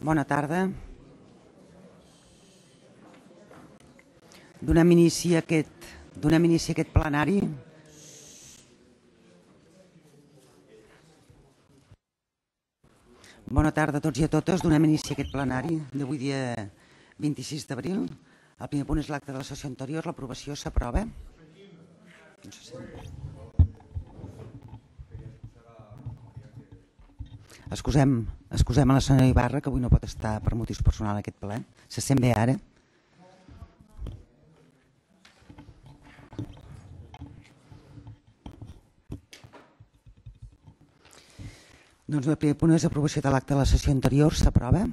Bona tarda. Donem inici a aquest plenari. Bona tarda a tots i a totes. Donem inici a aquest plenari d'avui dia 26 d'abril. El primer punt és l'acte de la sessió anterior. L'aprovació s'aprova. Excusem a la senyora Ibarra, que avui no pot estar per motius personals en aquest ple. Se sent bé ara? Doncs el primer punt és aprovació de l'acte de la sessió anterior. S'aprova.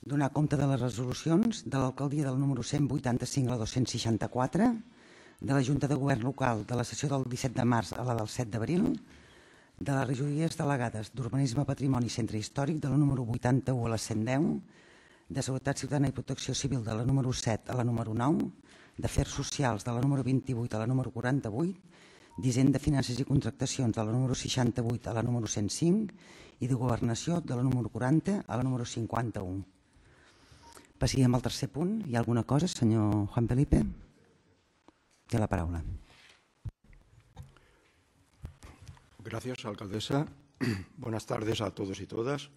Donar compte de les resolucions de l'alcaldia del número 185 a la 264, de la Junta de Govern Local de la sessió del 17 de març a la del 7 d'abril, de les regidories delegades d'Urbanisme, Patrimoni i Centre Històric de la número 81 a la 110, de Seguretat Ciutadana i Protecció Civil de la número 7 a la número 9, d'Afers Socials de la número 28 a la número 48, d'Hisenda, Finances i Contractacions de la número 68 a la número 105 i de Governació de la número 40 a la número 51. Passaríem al tercer punt. Hi ha alguna cosa, senyor Juan Felipe? Té la paraula. Gracias, alcaldesa. Buenas tardes a todos y todas.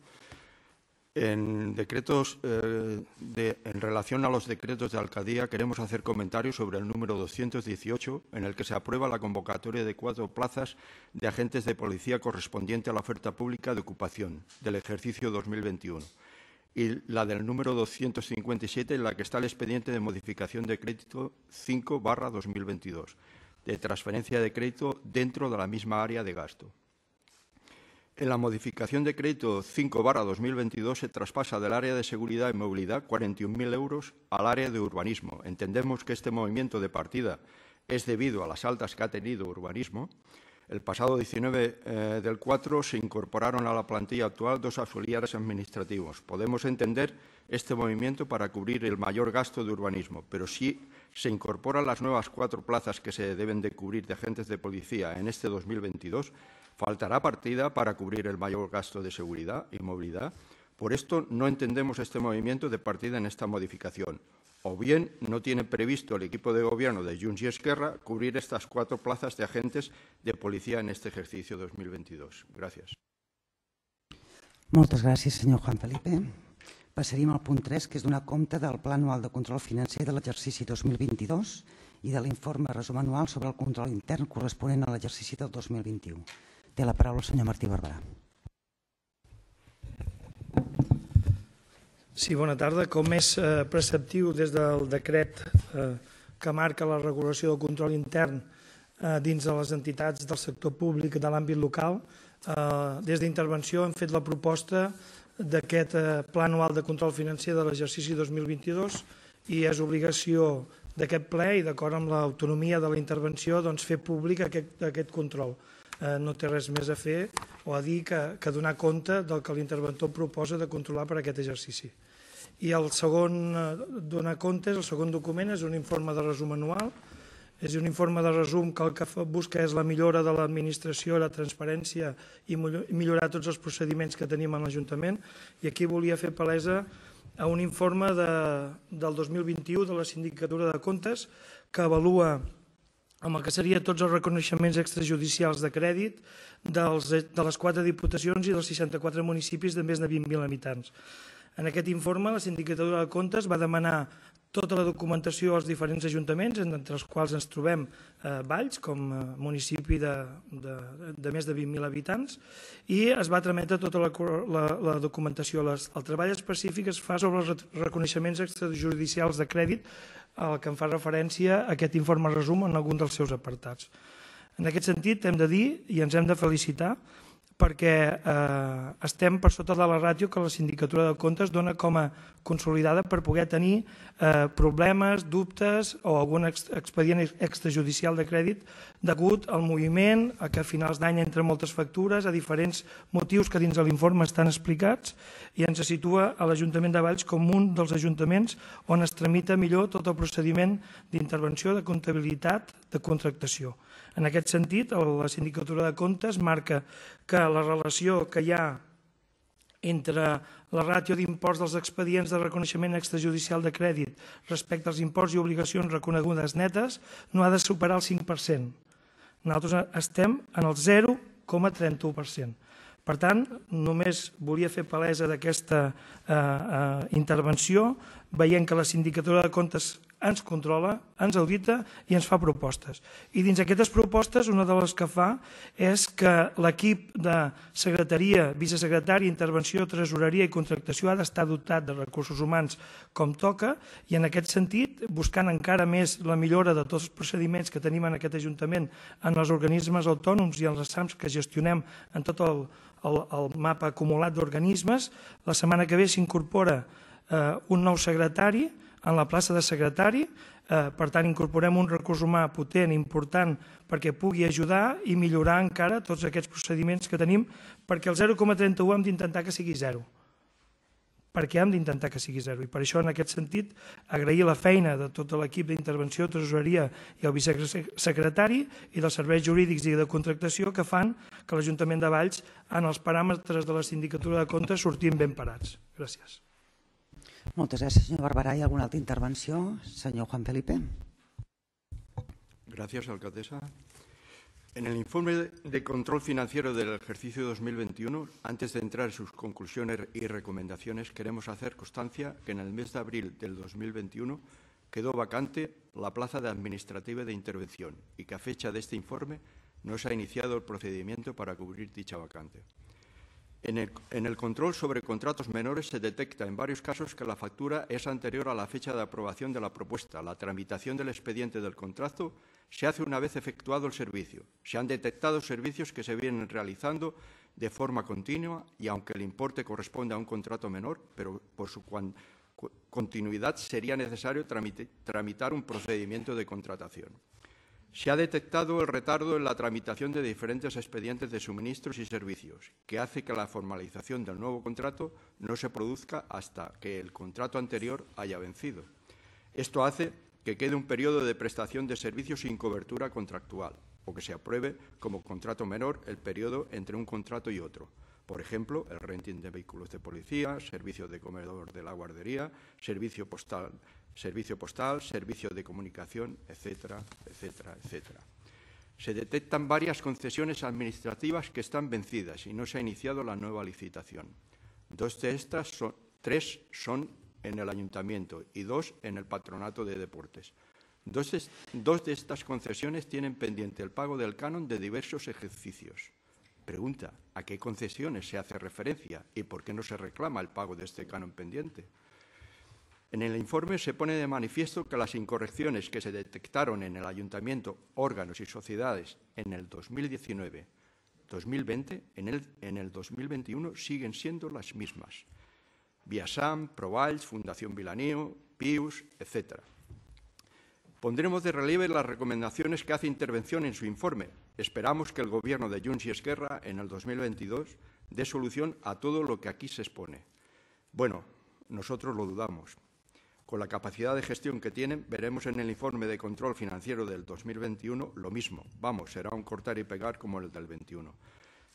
En relación a los decretos de alcaldía, queremos hacer comentarios sobre el número 218, en el que se aprueba la convocatoria de 4 plazas de agentes de policía correspondiente a la oferta pública de ocupación del ejercicio 2021. Y la del número 257, en la que está el expediente de modificación de crédito 5/2022, de transferencia de crédito dentro de la misma área de gasto. En la modificación de crédito 5/2022 se traspasa del área de seguridad y movilidad 41.000 euros al área de urbanismo. Entendemos que este movimiento de partida es debido a las altas que ha tenido urbanismo. El pasado 19 del 4 se incorporaron a la plantilla actual 2 auxiliares administrativos. Podemos entender este movimiento para cubrir el mayor gasto de urbanismo, pero si se incorporan las nuevas 4 plazas que se deben de cubrir de agentes de policía en este 2022, faltará partida para cubrir el mayor gasto de seguridad y movilidad. Por esto no entendemos este movimiento de partida en esta modificación. O bien no tiene previsto el equipo de gobierno de Junts y Esquerra cubrir estas 4 plazas de agentes de policía en este ejercicio 2022. Gràcies. Moltes gràcies, senyor Juan Felipe. Passaríem al punt 3, que és donar compte del Pla Anual de Control Financer de l'exercici 2022 i de l'informe resum anual sobre el control intern corresponent a l'exercici del 2021. Té la paraula el senyor Martí Barberà. Sí, bona tarda. Com és preceptiu des del decret que marca la regulació del control intern dins de les entitats del sector públic de l'àmbit local, des d'Intervenció hem fet la proposta d'aquest Pla Anual de Control Financer de l'exercici 2022 i és obligació d'aquest ple i d'acord amb l'autonomia de la intervenció fer públic aquest control. No té res més a fer o a dir que donar compte del que l'interventor proposa de controlar per aquest exercici. I el segon donar comptes, el segon document és un informe de resum anual. És un informe de resum que el que busca és la millora de l'administració, la transparència i millorar tots els procediments que tenim en l'Ajuntament. I aquí volia fer palesa a un informe del 2021 de la Sindicatura de Comptes que avalua amb el que serien tots els reconeixements extrajudicials de crèdit de les 4 diputacions i dels 64 municipis de més de 20.000 habitants. En aquest informe, la Sindicatura de Comptes va demanar tota la documentació als diferents ajuntaments, entre els quals ens trobem Valls, com a municipi de més de 20.000 habitants, i es va trametre tota la documentació. El treball específic es fa sobre els reconeixements extrajudicials de crèdit, al que em fa referència a aquest informe resum en algun dels seus apartats. En aquest sentit, hem de dir i ens hem de felicitar perquè estem per sota de la ràtio que la Sindicatura de Comptes dona com a consolidada per poder tenir problemes, dubtes o algun expedient extrajudicial de crèdit degut al moviment, a que a finals d'any entre moltes factures, a diferents motius que dins de l'informe estan explicats i ens situa a l'Ajuntament de Valls com un dels ajuntaments on es tramita millor tot el procediment d'intervenció, de comptabilitat, de contractació. En aquest sentit, la Sindicatura de Comptes marca que la relació que hi ha entre la ràtio d'imports dels expedients de reconeixement extrajudicial de crèdit respecte als imports i obligacions reconegudes netes no ha de superar el 5%. Nosaltres estem en el 0,31%. Per tant, només volia fer palesa d'aquesta intervenció, veient que la Sindicatura de Comptes ens controla, ens audita i ens fa propostes. I dins d'aquestes propostes, una de les que fa és que l'equip de secretaria, vicesecretari, intervenció, tresoreria i contractació ha d'estar dotat de recursos humans com toca i en aquest sentit, buscant encara més la millora de tots els procediments que tenim en aquest Ajuntament en els organismes autònoms i en les SAMs que gestionem en tot el mapa acumulat d'organismes, la setmana que ve s'incorpora un nou secretari en la plaça de secretari, per tant incorporem un recurs humà potent, important, perquè pugui ajudar i millorar encara tots aquests procediments que tenim, perquè el 0,31 hem d'intentar que sigui 0. Perquè hem d'intentar que sigui 0. I per això, en aquest sentit, agrair la feina de tot l'equip d'intervenció, tresoreria i el vicesecretari i dels serveis jurídics i de contractació que fan que l'Ajuntament de Valls, en els paràmetres de la Sindicatura de Comptes, sortim ben parats. Gràcies. Moltes gràcies, senyor Barberà. ¿Hay alguna altra intervenció? Senyor Juan Felipe. Gracias, alcaldesa. En el informe de control financiero del ejercicio 2021, antes de entrar en sus conclusiones y recomendaciones, queremos hacer constancia que en el mes de abril del 2021 quedó vacante la plaza de administrativa de intervención y que a fecha de este informe no se ha iniciado el procedimiento para cubrir dicha vacante. En el control sobre contratos menores se detecta en varios casos que la factura es anterior a la fecha de aprobación de la propuesta. La tramitación del expediente del contrato se hace una vez efectuado el servicio. Se han detectado servicios que se vienen realizando de forma continua y aunque el importe corresponde a un contrato menor, pero por su continuidad sería necesario tramitar un procedimiento de contratación. Se ha detectado el retardo en la tramitación de diferentes expedientes de suministros y servicios, que hace que la formalización del nuevo contrato no se produzca hasta que el contrato anterior haya vencido. Esto hace que quede un periodo de prestación de servicios sin cobertura contractual o que se apruebe como contrato menor el periodo entre un contrato y otro. Por ejemplo, el renting de vehículos de policía, servicio de comedor de la guardería, servicio postal, servicio de comunicación, etcétera, etcétera, etcétera. Se detectan varias concesiones administrativas que están vencidas y no se ha iniciado la nueva licitación. Tres son en el ayuntamiento y 2 en el patronato de deportes. Dos de estas concesiones tienen pendiente el pago del canon de diversos ejercicios. Pregunta, ¿a qué concesiones se hace referencia y por qué no se reclama el pago de este canon pendiente? En el informe se pone de manifiesto que las incorrecciones que se detectaron en el ayuntamiento, órganos y sociedades en el 2019, 2020, en el 2021 siguen siendo las mismas. Viasam, Provalls, Fundación Vilaneo, Pius, etc. Pondremos de relieve las recomendaciones que hace intervención en su informe. Esperamos que el Gobierno de Junts y Esquerra en el 2022 dé solución a todo lo que aquí se expone. Bueno, nosotros lo dudamos. Con la capacidad de gestión que tienen, veremos en el informe de control financiero del 2021 lo mismo. Vamos, será un cortar y pegar como el del 21.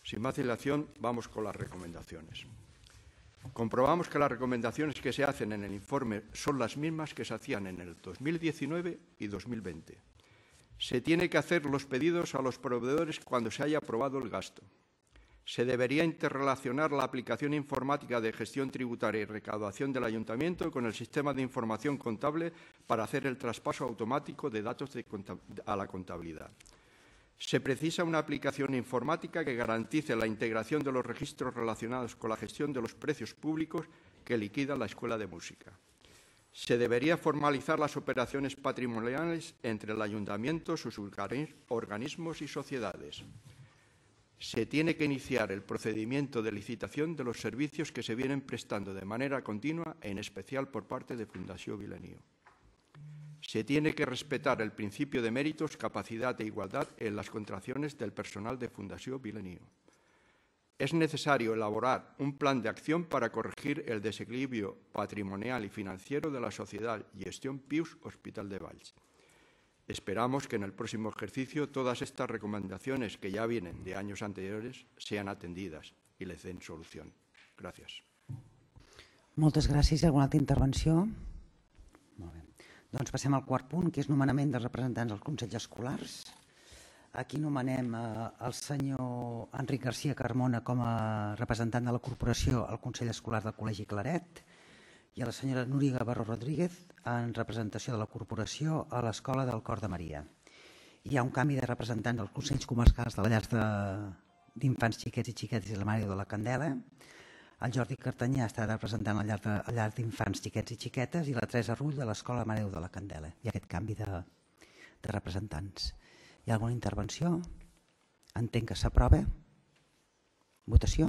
Sin más dilación, vamos con las recomendaciones. Comprobamos que las recomendaciones que se hacen en el informe son las mismas que se hacían en el 2019 y 2020. Se tiene que hacer los pedidos a los proveedores cuando se haya aprobado el gasto. Se debería interrelacionar la aplicación informática de gestión tributaria y recaudación del ayuntamiento con el sistema de información contable para hacer el traspaso automático de datos a la contabilidad. Se precisa una aplicación informática que garantice la integración de los registros relacionados con la gestión de los precios públicos que liquida la Escuela de Música. Se debería formalizar las operaciones patrimoniales entre el ayuntamiento, sus organismos y sociedades. Se tiene que iniciar el procedimiento de licitación de los servicios que se vienen prestando de manera continua, en especial por parte de Fundació Vilaneo. Se tiene que respetar el principio de méritos, capacidad e igualdad en las contrataciones del personal de Fundació Vilaneo. Es necesario elaborar un plan de acción para corregir el desequilibrio patrimonial y financiero de la sociedad y gestión Pius Hospital de Valls. Esperamos que en el próximo ejercicio todas estas recomendaciones que ya vienen de años anteriores sean atendidas y les den solución. Gracias. Gràcies. Moltes gràcies. Hi ha alguna altra intervenció? Molt bé. Doncs passem al quart punt, que és nomenament dels representants dels consells escolars. Aquí nomenem el senyor Enric García Carmona com a representant de la corporació al Consell Escolar del Col·legi Claret i a la senyora Núria Gavarró Rodríguez en representació de la corporació a l'Escola del Cor de Maria. Hi ha un canvi de representants dels Consells Comarcals de la Llar d'Infants Xiquets i Xiquetes i la Mare de la Candela. El Jordi Cartanyà està representant la Llar d'Infants Xiquets i Xiquetes i la Teresa Rull de l'Escola Mare de la Candela. Hi ha aquest canvi de representants. Hi ha alguna intervenció? Entenc que s'aprova. Votació?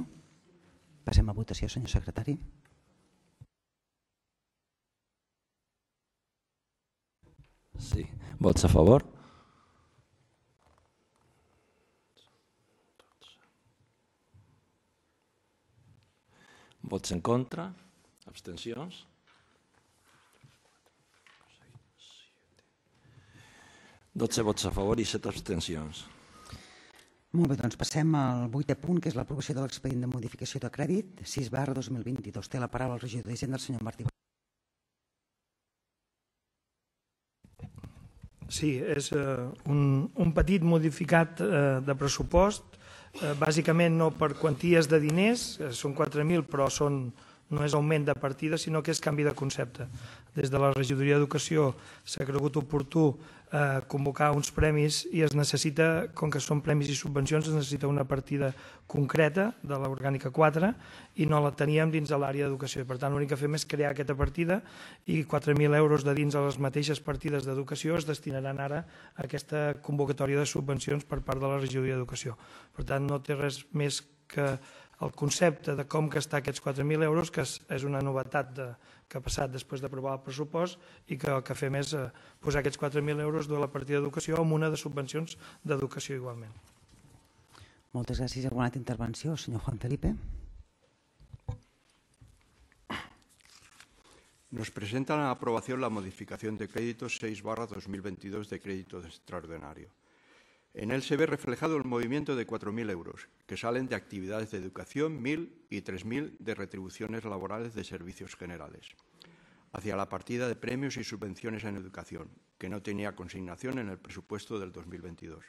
Passem a votació, senyor secretari. Sí. Vots a favor? Vots en contra? Abstencions? 12 vots a favor i 7 abstencions. Molt bé, doncs passem al 8è punt, que és l'aprovació de l'expedient de modificació de crèdit 6/2022. Té la paraula el regidor d'Hisenda, el senyor Martí. Sí, és un petit modificat de pressupost, bàsicament no per quanties de diners, són 4.000, però no és augment de partida, sinó que és canvi de concepte. Des de la regidoria d'Educació s'ha cregut oportú convocar uns premis i es necessita, com que són premis i subvencions, es necessita una partida concreta de l'orgànica 4 i no la teníem dins de l'àrea d'educació. Per tant, l'únic que fem és crear aquesta partida i 4.000 euros de dins de les mateixes partides d'educació es destinaran ara a aquesta convocatòria de subvencions per part de la regidoria d'Educació. Per tant, no té res més que el concepte de com gastar aquests 4.000 euros, que és una novetat que ha passat després d'aprovar el pressupost i que el que fem és posar aquests 4.000 euros de la partida d'educació amb una de subvencions d'educació igualment. Moltes gràcies. Alguna altra intervenció, senyor Juan Felipe? Nos presentan a aprobación la modificación de créditos 6/2022 de crédito extraordinario. En él se ve reflejado el movimiento de 4.000 euros, que salen de actividades de educación, 1.000 y 3.000 de retribuciones laborales de servicios generales, hacia la partida de premios y subvenciones en educación, que no tenía consignación en el presupuesto del 2022.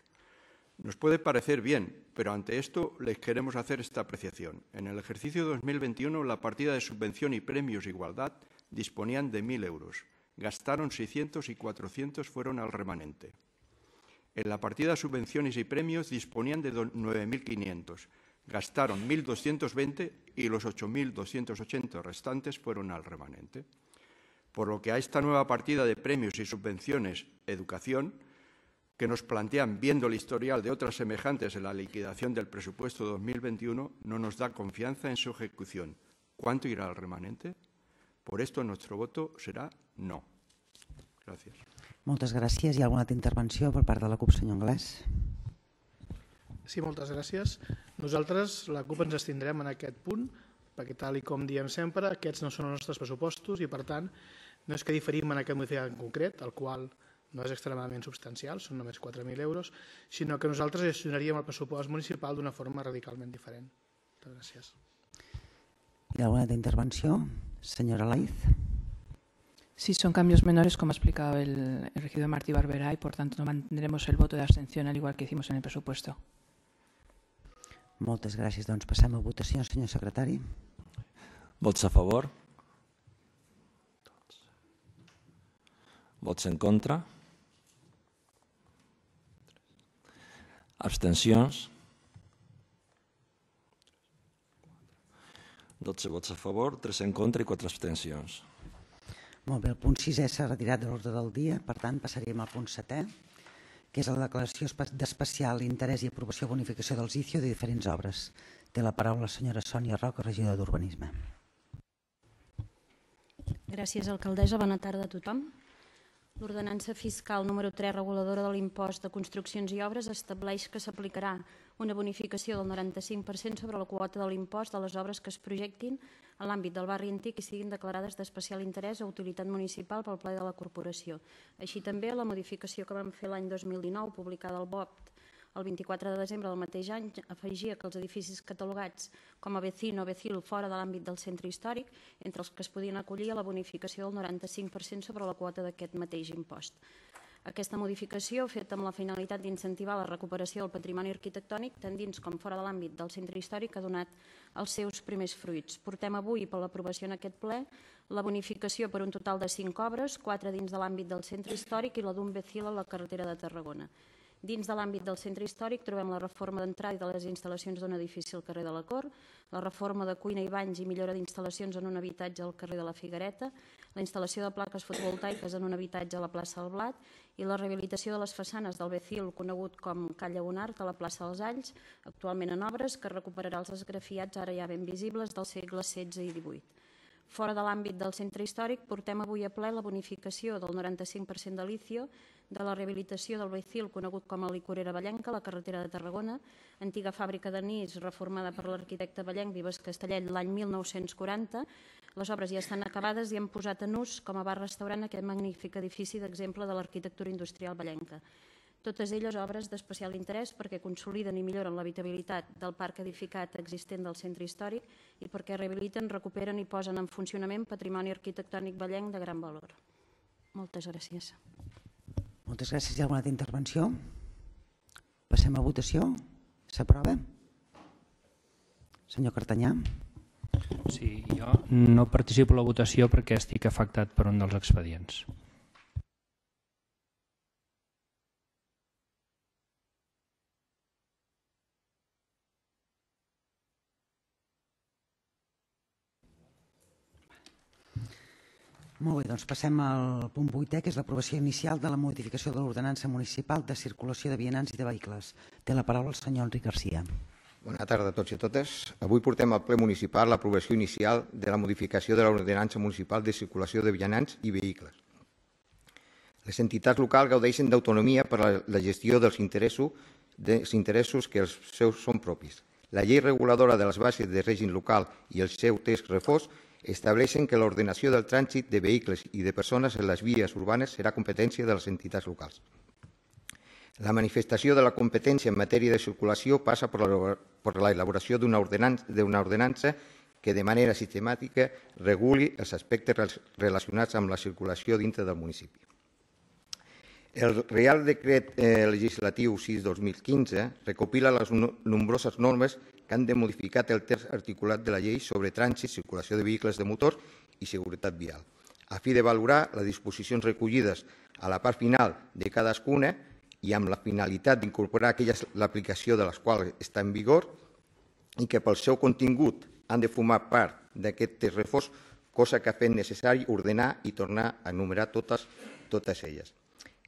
Nos puede parecer bien, pero ante esto les queremos hacer esta apreciación. En el ejercicio 2021, la partida de subvención y premios igualdad disponían de 1.000 euros. Gastaron 600 y 400 fueron al remanente. En la partida de subvenciones y premios disponían de 9.500. Gastaron 1.220 y los 8.280 restantes fueron al remanente. Por lo que a esta nueva partida de premios y subvenciones educación, que nos plantean viendo el historial de otras semejantes en la liquidación del presupuesto 2021, no nos da confianza en su ejecución. ¿Cuánto irá al remanente? Por esto nuestro voto será no. Gràcies. Moltes gràcies. Hi ha alguna altra intervenció per part de la CUP, senyor Anglès? Sí, moltes gràcies. Nosaltres, la CUP, ens abstindrem en aquest punt, perquè tal com diem sempre, aquests no són els nostres pressupostos i, per tant, no és que diferim en aquest modificat en concret, el qual no és extremadament substancial, són només 4.000 euros, sinó que nosaltres gestionaríem el pressupost municipal d'una forma radicalment diferent. Moltes gràcies. Hi ha alguna altra intervenció? Senyora Laiz. Sí, son cambios menores, como ha explicado el regidor Martí Barberá, y por tanto no mantendremos el voto de abstención al igual que hicimos en el presupuesto. Moltes gràcies. Doncs passem a votació, senyor secretari. Vots a favor? Vots en contra? Abstencions? 12 vots a favor, 3 en contra i 4 abstencions. Molt bé, el punt 6è s'ha retirat de l'ordre del dia, per tant passaríem al punt 7è, que és la declaració d'especial interès i aprovació o bonificació dels ICIO de diferents obres. Té la paraula la senyora Sònia Roca, regidora d'Urbanisme. Gràcies, alcaldessa. Bona tarda a tothom. L'ordenança fiscal número 3, reguladora de l'impost de construccions i obres, estableix que s'aplicarà una bonificació del 95% sobre la quota de l'impost de les obres que es projectin en l'àmbit del barri antic i siguin declarades d'especial interès o utilitat municipal pel ple de la corporació. Així també la modificació que vam fer l'any 2019, publicada al BOP el 24 de desembre del mateix any, afegia que els edificis catalogats com a vecino o vecil fora de l'àmbit del centre històric, entre els que es podien acollir a la bonificació del 95% sobre la quota d'aquest mateix impost. Aquesta modificació, feta amb la finalitat d'incentivar la recuperació del patrimoni arquitectònic, tant dins com fora de l'àmbit del centre històric, ha donat els seus primers fruits. Portem avui per l'aprovació en aquest ple la bonificació per un total de 5 obres, 4 dins de l'àmbit del centre històric i la d'un vecil a la carretera de Tarragona. Dins de l'àmbit del centre històric trobem la reforma d'entrada i de les instal·lacions d'un edifici al carrer de la Cort, la reforma de cuina i banys i millora d'instal·lacions en un habitatge al carrer de la Figuereta, la instal·lació de plaques fotovoltaiques en un habitatge a la plaça del Blat i la rehabilitació de les façanes del vecil conegut com Calla Bonart a la plaça dels Alls, actualment en obres, que recuperarà els esgrafiats ara ja ben visibles del segle XVI i XVIII. Fora de l'àmbit del centre històric, portem avui a ple la bonificació del 95% de l'ICIO de la rehabilitació del vecil conegut com a Licorera Vallenca, a la carretera de Tarragona, antiga fàbrica d'anís reformada per l'arquitecte vallenc Vives Castellet l'any 1940. Les obres ja estan acabades i han posat en ús com a bar-restaurant aquest magnífic edifici d'exemple de l'arquitectura industrial vallenca. Totes elles obres d'especial interès perquè consoliden i milloren l'habitabilitat del parc edificat existent del centre històric i perquè rehabiliten, recuperen i posen en funcionament patrimoni arquitectònic vallenc de gran valor. Moltes gràcies. Moltes gràcies. Hi ha alguna altra intervenció? Passem a votació. S'aprova? Senyor Cartanyà. Sí, jo no participo a la votació perquè estic afectat per un dels expedients. Molt bé, doncs passem al punt 8è, que és l'aprovació inicial de la modificació de l'ordenança municipal de circulació de vianants i de vehicles. Té la paraula el senyor Enric Garcia. Bona tarda a tots i a totes. Avui portem al ple municipal l'aprovació inicial de la modificació de l'ordenança municipal de circulació de vianants i vehicles. Les entitats locals gaudeixen d'autonomia per a la gestió dels interessos que els seus són propis. La llei reguladora de les bases de règim local i el seu text refós estableixen que l'ordenació del trànsit de vehicles i de persones en les vies urbanes serà competència de les entitats locals. La manifestació de la competència en matèria de circulació passa per l'elaboració d'una ordenança que de manera sistemàtica reguli els aspectes relacionats amb la circulació dintre del municipi. El Reial Decret Legislatiu 6/2015 recopila les nombroses normes que han de modificar el text articulat de la llei sobre trànsit, circulació de vehicles de motor i seguretat vial, a fi de valorar les disposicions recollides a la part final de cadascuna i amb la finalitat d'incorporar l'aplicació de les quals està en vigor i que pel seu contingut han de formar part d'aquest text refós, cosa que ha fet necessari ordenar i tornar a enumerar totes elles.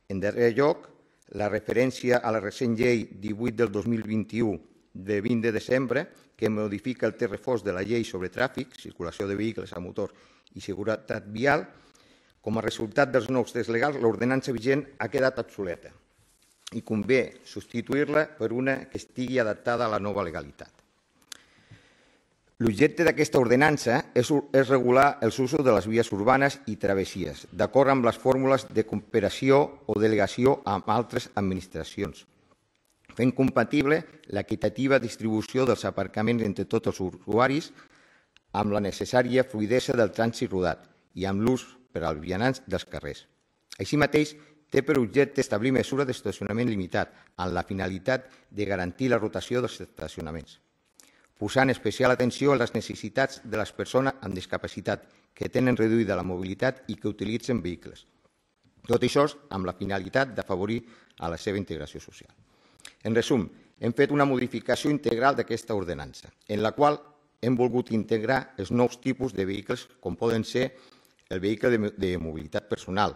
En darrer lloc, la referència a la recent llei 18 del 2021 de 20 de desembre, que modifica el text refós de la llei sobre tràfic, circulació de vehicles a motor i seguretat vial. Com a resultat dels nous texts legals, l'ordenança vigent ha quedat obsoleta i convé substituir-la per una que estigui adaptada a la nova legalitat. L'objecte d'aquesta ordenança és regular els usos de les vies urbanes i travessies, d'acord amb les fórmules de cooperació o delegació amb altres administracions, fent compatible l'equitativa distribució dels aparcaments entre tots els usuaris amb la necessària fluïdesa del trànsit rodat i amb l'ús per als vianants dels carrers. Així mateix, té per objecte establir mesures d'estacionament limitat amb la finalitat de garantir la rotació dels estacionaments, posant especial atenció a les necessitats de les persones amb discapacitat que tenen reduïda la mobilitat i que utilitzen vehicles. Tot això amb la finalitat d'afavorir a la seva integració social. En resum, hem fet una modificació integral d'aquesta ordenança, en la qual hem volgut integrar els nous tipus de vehicles, com poden ser el vehicle de mobilitat personal.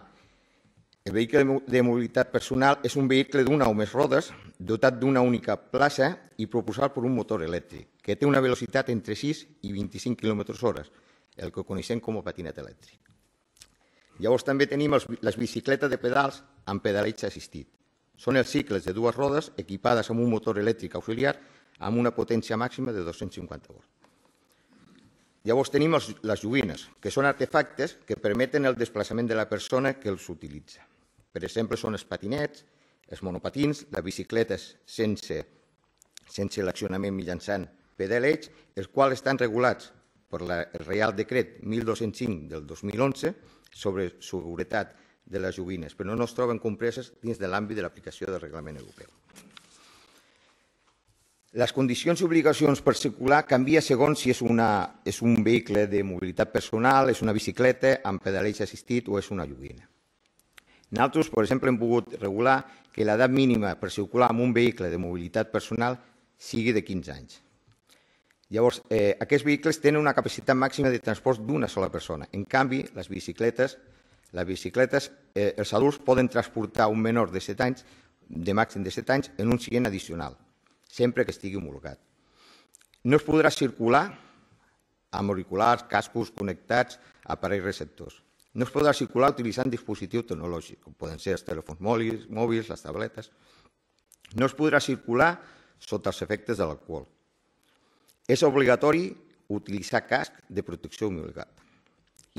El vehicle de mobilitat personal és un vehicle d'una o més rodes, dotat d'una única plaça i propulsat per un motor elèctric, que té una velocitat entre 6 i 25 km/h, el que coneixem com a patinet elèctric. Llavors també tenim les bicicletes de pedals amb pedalatge assistit. Són els cicles de dues rodes equipades amb un motor elèctric auxiliar amb una potència màxima de 250 volts. Llavors tenim les joguines, que són artefactes que permeten el desplaçament de la persona que els utilitza. Per exemple, són els patinets, els monopatins, les bicicletes sense l'accionament mitjançant pedaleig, els quals estan regulats per el Reial Decret 1205 del 2011 sobre seguretat de les joguines, però no es troben compreses dins de l'àmbit de l'aplicació del reglament europeu. Les condicions i obligacions per circular canvia segons si és un vehicle de mobilitat personal, és una bicicleta amb pedaleig assistit o és una joguina. Nosaltres, per exemple, hem pogut regular que l'edat mínima per circular amb un vehicle de mobilitat personal sigui de 15 anys. Llavors, aquests vehicles tenen una capacitat màxima de transport d'una sola persona. En canvi, les bicicletes, els adults poden transportar un menor de 7 anys, de màxim de 7 anys, en un seient addicional, sempre que estigui homologat. No es podrà circular amb auriculars, cascos connectats a aparells receptors. No es podrà circular utilitzant dispositius tecnològics, com poden ser els telèfons mòbils, les tabletes. No es podrà circular sota els efectes de l'alcohol. És obligatori utilitzar casc de protecció obligat.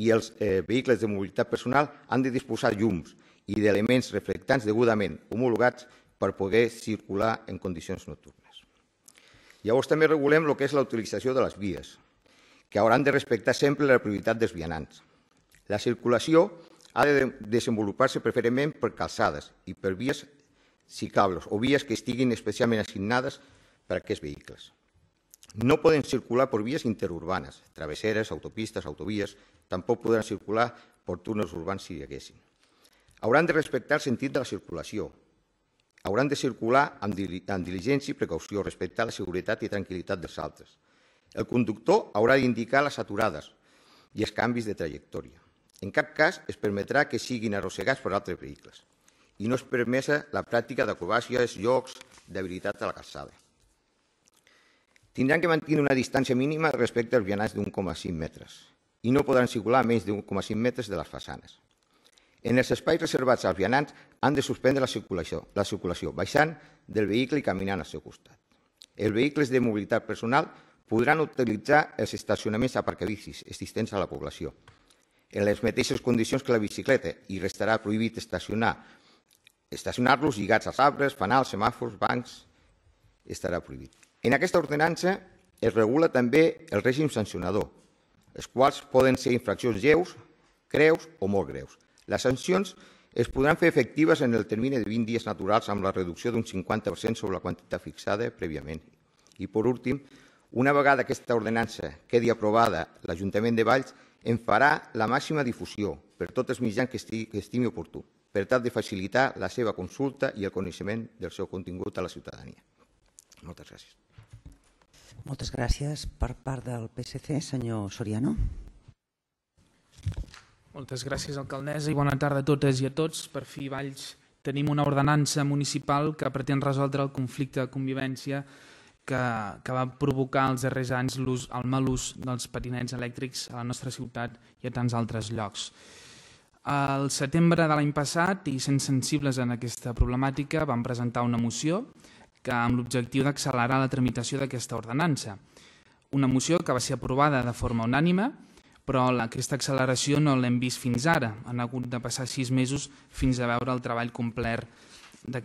I els vehicles de mobilitat personal han de disposar llums i d'elements reflectants degudament homologats per poder circular en condicions nocturnes. Llavors també regulem el que és la utilització de les vies, que hauran de respectar sempre la prioritat dels vianants. La circulació ha de desenvolupar-se preferentment per calçades i per vies ciclables o vies que estiguin especialment assignades per a aquests vehicles. No poden circular per vies interurbanes, travesseres, autopistes, autovies, tampoc podran circular per túnels urbans si hi haguessin. Hauran de respectar el sentit de la circulació. Hauran de circular amb diligència i precaució, respectar la seguretat i tranquil·litat dels altres. El conductor haurà d'indicar les aturades i els canvis de trajectòria. En cap cas es permetrà que siguin arrossegats per altres vehicles i no és permesa la pràctica d'acrobàcies, jocs d'habilitat a la calçada. Tindran que mantenir una distància mínima respecte als vianants d'1,5 metres i no podran circular a menys d'1,5 metres de les façanes. En els espais reservats als vianants han de suspendre la circulació, baixant del vehicle i caminant al seu costat. Els vehicles de mobilitat personal podran utilitzar els estacionaments aparcabicis existents a la població, en les mateixes condicions que la bicicleta, i restarà prohibit estacionar-los lligats als arbres, fanals, semàfors, bancs, estarà prohibit. En aquesta ordenança es regula també el règim sancionador, els quals poden ser infraccions lleus, greus o molt greus. Les sancions es podran fer efectives en el termini de 20 dies naturals amb la reducció d'un 50% sobre la quantitat fixada prèviament. I, per últim, una vegada aquesta ordenança quedi aprovada, l'Ajuntament de Valls en farà la màxima difusió per tots els mitjans que estimi oportú, per tal de facilitar la seva consulta i el coneixement del seu contingut a la ciutadania. Moltes gràcies. Moltes gràcies. Per part del PSC, senyor Soriano. Moltes gràcies, alcaldessa, i bona tarda a totes i a tots. Per fi, Valls, tenim una ordenança municipal que pretén resoldre el conflicte de convivència que va provocar els darrers anys el mal ús dels patinets elèctrics a la nostra ciutat i a tants altres llocs. Al setembre de l'any passat, i sent sensibles en aquesta problemàtica, vam presentar una moció amb l'objectiu d'accelerar la tramitació d'aquesta ordenança. Una moció que va ser aprovada de forma unànime, però aquesta acceleració no l'hem vist fins ara. Han hagut de passar 6 mesos fins a veure el treball complet de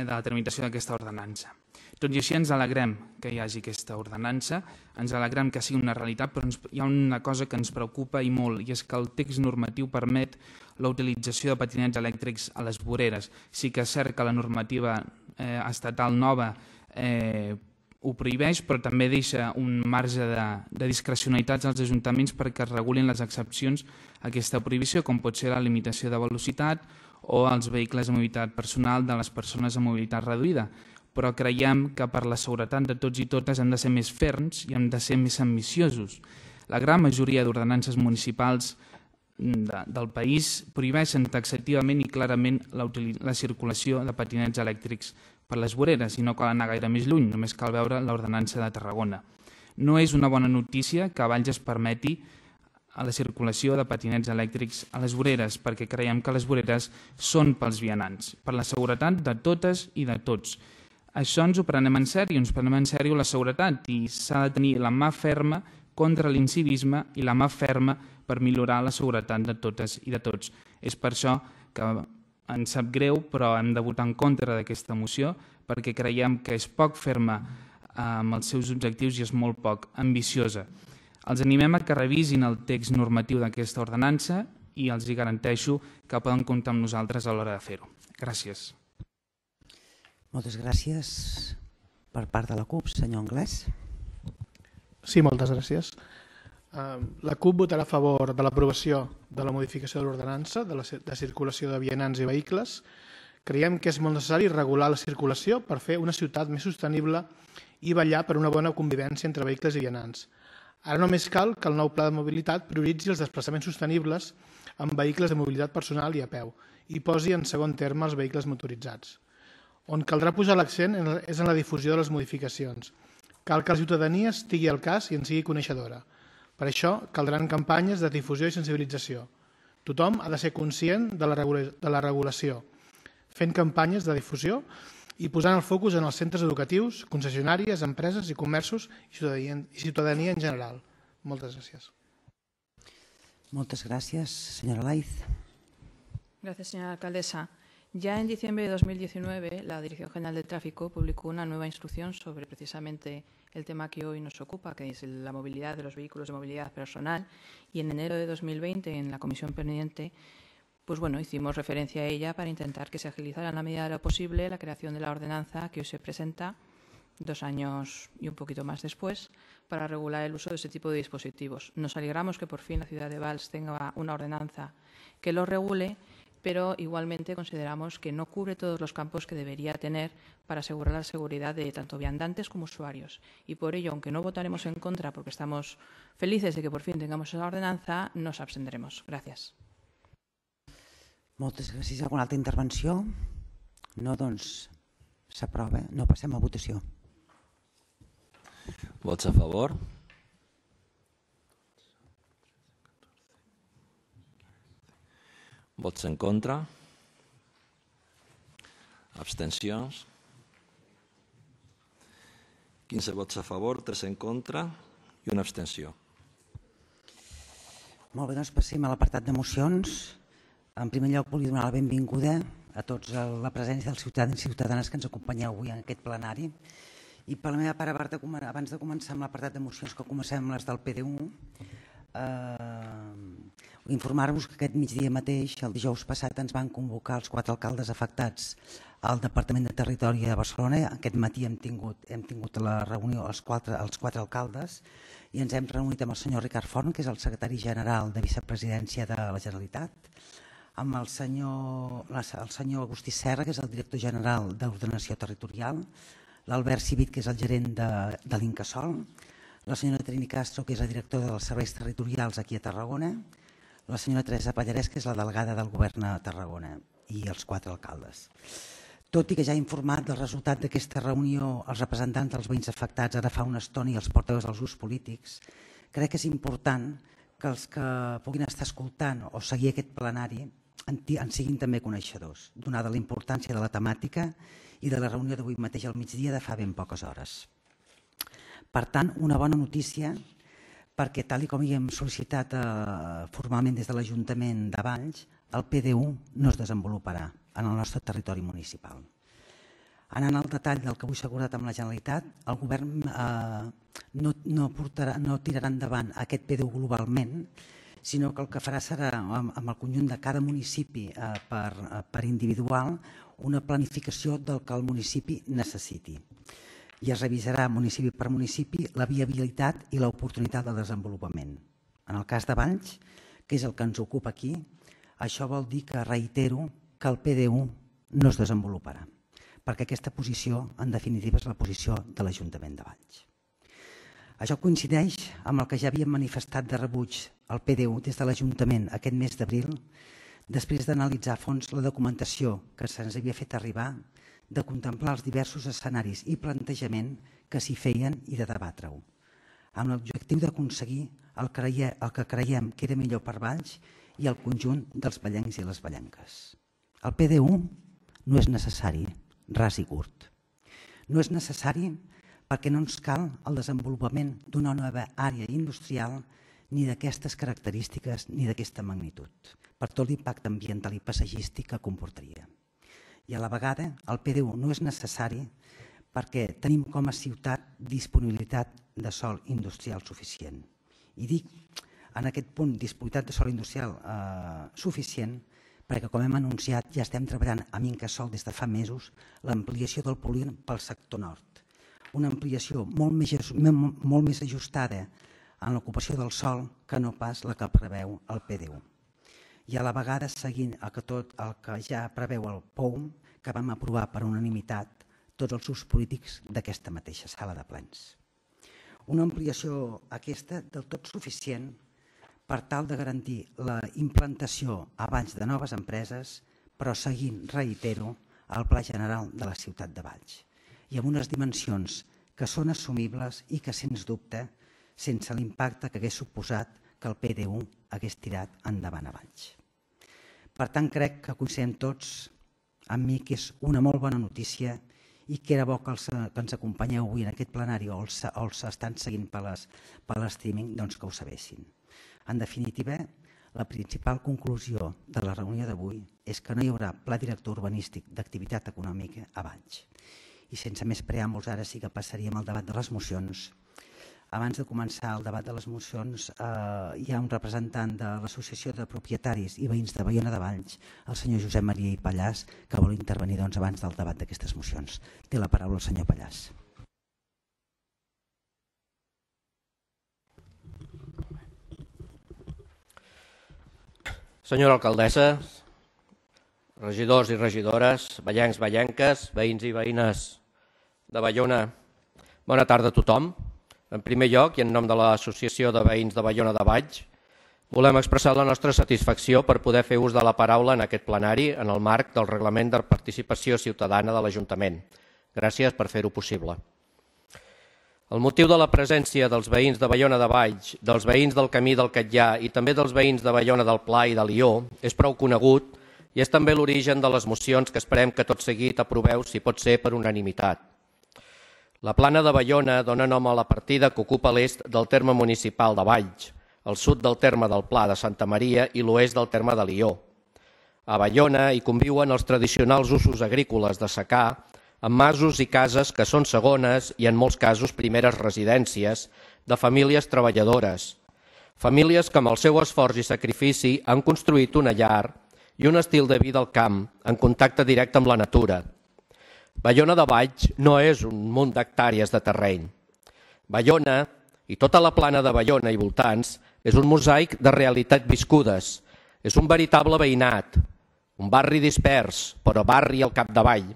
la tramitació d'aquesta ordenança. Tot i així ens alegrem que hi hagi aquesta ordenança, ens alegrem que sigui una realitat, però hi ha una cosa que ens preocupa i molt, i és que el text normatiu permet la utilització de patinets elèctrics a les voreres. Sí que és cert que la normativa estatal nova ho prohibeix, però també deixa un marge de discrecionalitats als ajuntaments perquè es regulin les excepcions a aquesta prohibició, com pot ser la limitació de velocitat o els vehicles de mobilitat personal de les persones amb mobilitat reduïda. Però creiem que per la seguretat de tots i totes hem de ser més ferms i hem de ser més ambiciosos. La gran majoria d'ordenances municipals del país prohibeixen taxativament i clarament la circulació de patinets elèctrics per les voreres i no cal anar gaire més lluny, només cal veure l'ordenança de Tarragona. No és una bona notícia que a Valls es permeti la circulació de patinets elèctrics a les voreres, perquè creiem que les voreres són pels vianants, per la seguretat de totes i de tots. Això ens ho prenem en sèrio, ens prenem en sèrio la seguretat i s'ha de tenir la mà ferma contra l'incivisme i la mà ferma per millorar la seguretat de totes i de tots. És per això que ens sap greu, però hem de votar en contra d'aquesta moció perquè creiem que és poc ferma amb els seus objectius i és molt poc ambiciosa. Els animem a que revisin el text normatiu d'aquesta ordenança i els hi garanteixo que poden comptar amb nosaltres a l'hora de fer-ho. Gràcies. Moltes gràcies. Per part de la CUP, senyor Anglès. Sí, moltes gràcies. La CUP votarà a favor de l'aprovació de la modificació de l'ordenança de circulació de vianants i vehicles. Creiem que és molt necessari regular la circulació per fer una ciutat més sostenible i vetllar per una bona convivència entre vehicles i vianants. Ara només cal que el nou pla de mobilitat prioritzi els desplaçaments sostenibles amb vehicles de mobilitat personal i a peu i posi en segon terme els vehicles motoritzats. On caldrà posar l'accent és en la difusió de les modificacions. Cal que la ciutadania estigui al cas i en sigui coneixedora. Per això caldran campanyes de difusió i sensibilització. Tothom ha de ser conscient de la regulació, fent campanyes de difusió i posant el focus en els centres educatius, concessionàries, empreses i comerços i ciutadania en general. Moltes gràcies. Moltes gràcies. Senyora Laiz. Gracias, señora alcaldesa. Ya en diciembre de 2019, la Dirección General de Tráfico publicó una nueva instrucción sobre precisamente el tema que hoy nos ocupa, que es la movilidad de los vehículos de movilidad personal, y en enero de 2020, en la comisión pendiente, pues bueno, hicimos referencia a ella para intentar que se agilizara en la medida de lo posible la creación de la ordenanza que hoy se presenta, 2 años y un poquito más después, para regular el uso de ese tipo de dispositivos. Nos alegramos que por fin la ciudad de Valls tenga una ordenanza que lo regule, pero igualmente consideramos que no cubre todos los campos que debería tener para asegurar la seguridad de tanto viandantes como usuarios. Y por ello, aunque no votaremos en contra porque estamos felices de que por fin tengamos esa ordenanza, nos abstendremos. Gracias. Moltes gràcies. Alguna altra intervenció? No, doncs s'aprova. No, passem a votació. Vots a favor? Vots en contra? Abstencions? 15 vots a favor, 3 en contra i una abstenció. Molt bé, doncs passem a l'apartat de mocions. En primer lloc, volia donar la benvinguda a tots a la presència dels ciutadans i ciutadanes que ens acompanyeu avui en aquest plenari. I per la meva part, abans de començar amb l'apartat de mocions, que comencem amb les del PDU, informar-vos que aquest migdia mateix, el dijous passat, ens van convocar els 4 alcaldes afectats al Departament de Territori de Barcelona. Aquest matí hem tingut la reunió els 4 alcaldes i ens hem reunit amb el senyor Ricard Forn, que és el secretari general de Vicepresidència de la Generalitat, amb el senyor Agustí Serra, que és el director general d'Ordenació Territorial, l'Albert Civit, que és el gerent de l'Incasòl, la senyora Trini Castro, que és la directora dels serveis territorials aquí a Tarragona, la senyora Teresa Pallarès, que és la delegada del govern a Tarragona, i els 4 alcaldes. Tot i que ja ha informat del resultat d'aquesta reunió els representants dels veïns afectats ara fa una estona i els portaveus dels grups polítics, crec que és important que els que puguin estar escoltant o seguir aquest plenari en siguin també coneixedors, donada la importància de la temàtica i de la reunió d'avui mateix al migdia de fa ben poques hores. Per tant, una bona notícia, perquè tal com hi hem sol·licitat formalment des de l'Ajuntament de Valls, el PDU no es desenvoluparà en el nostre territori municipal. Anant al detall del que vull assegurar amb la Generalitat, el govern no tirarà endavant aquest PDU globalment, sinó que el que farà serà, amb el conjunt de cada municipi per individual, una planificació del que el municipi necessiti. I es revisarà municipi per municipi la viabilitat i l'oportunitat de desenvolupament. En el cas de Valls, que és el que ens ocupa aquí, això vol dir que reitero que el PDU no es desenvoluparà, perquè aquesta posició, en definitiva, és la posició de l'Ajuntament de Valls. Això coincideix amb el que ja havíem manifestat de rebuig al PDU des de l'Ajuntament aquest mes d'abril, després d'analitzar a fons la documentació que se'ns havia fet arribar, de contemplar els diversos escenaris i plantejament que s'hi feien i de debatre-ho, amb l'objectiu d'aconseguir el que creiem que era millor per Valls i el conjunt dels vallencs i les vallenques. El PDU no és necessari, ras i curt. No és necessari perquè no ens cal el desenvolupament d'una nova àrea industrial ni d'aquestes característiques ni d'aquesta magnitud. per tot l'impacte ambiental i paisatgístic que comportaria. I a la vegada el PDU no és necessari perquè tenim com a ciutat disponibilitat de sòl industrial suficient. I dic en aquest punt disponibilitat de sòl industrial suficient perquè, com hem anunciat, ja estem treballant amb Incasòl des de fa mesos l'ampliació del polígon pel sector nord. Una ampliació molt més ajustada en l'ocupació del sòl que no pas la que preveu el PDU. I a la vegada seguint tot el que ja preveu el POUM, que vam aprovar per unanimitat tots els grups polítics d'aquesta mateixa sala de plens. Una ampliació aquesta del tot suficient per tal de garantir la implantació abans de noves empreses, però seguint, reitero, el Pla General de la ciutat de Valls i amb unes dimensions que són assumibles i que, sens dubte, sense l'impacte que hagués suposat que el PDU hagués tirat endavant a Valls. Per tant, crec que coincidim tots amb mi que és una molt bona notícia i que era bo que ens acompanyeu avui en aquest plenari o els estan seguint per l'streaming, doncs que ho sabessin. En definitiva, la principal conclusió de la reunió d'avui és que no hi haurà pla director urbanístic d'activitat econòmica a Valls. I sense més preàmbuls, ara sí que passaríem al debat de les mocions. Abans de començar el debat de les mocions, hi ha un representant de l'Associació de Propietaris i Veïns de Baiona de Valls, el senyor Josep Maria i Pallàs, que vol intervenir abans del debat d'aquestes mocions. Té la paraula el senyor Pallàs. Senyora alcaldessa, regidors i regidores, vallencs, vallenques, veïns i veïnes de Baiona, bona tarda a tothom. En primer lloc, i en nom de l'Associació de Veïns de Baiona de Valls, volem expressar la nostra satisfacció per poder fer ús de la paraula en aquest plenari en el marc del Reglament de Participació Ciutadana de l'Ajuntament. Gràcies per fer-ho possible. El motiu de la presència dels veïns de Baiona de Valls, dels veïns del Camí del Catllà i també dels veïns de Baiona del Pla i de Lió és prou conegut i és també l'origen de les mocions que esperem que tot seguit aproveu, si pot ser, per unanimitat. La Plana de Baiona dona nom a la partida que ocupa l'est del terme municipal de Valls, el sud del terme del Pla de Santa Maria i l'oest del terme de Lió. A Baiona hi conviuen els tradicionals usos agrícoles de secà, amb masos i cases que són segones i en molts casos primeres residències de famílies treballadores. Famílies que amb el seu esforç i sacrifici han construït una llar i un estil de vida al camp, en contacte directe amb la natura. Baiona de Valls no és un munt d'hectàrees de terreny. Baiona i tota la Plana de Baiona i voltants és un mosaic de realitats viscudes. És un veritable veïnat, un barri dispers, però barri al capdavall,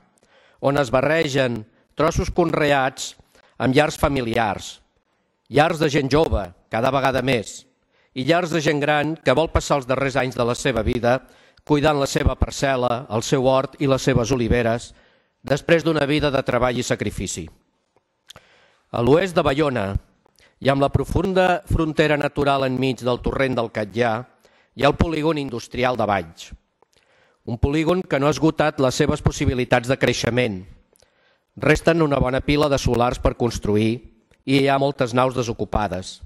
on es barregen trossos conreats amb llars familiars, llars de gent jove, cada vegada més, i llars de gent gran que vol passar els darrers anys de la seva vida cuidant la seva parcel·la, el seu hort i les seves oliveres, després d'una vida de treball i sacrifici. A l'oest de Baiona, i amb la profunda frontera natural enmig del torrent del Catllà, hi ha el polígon industrial de Valls. Un polígon que no ha esgotat les seves possibilitats de creixement. Resten una bona pila de solars per construir i hi ha moltes naus desocupades.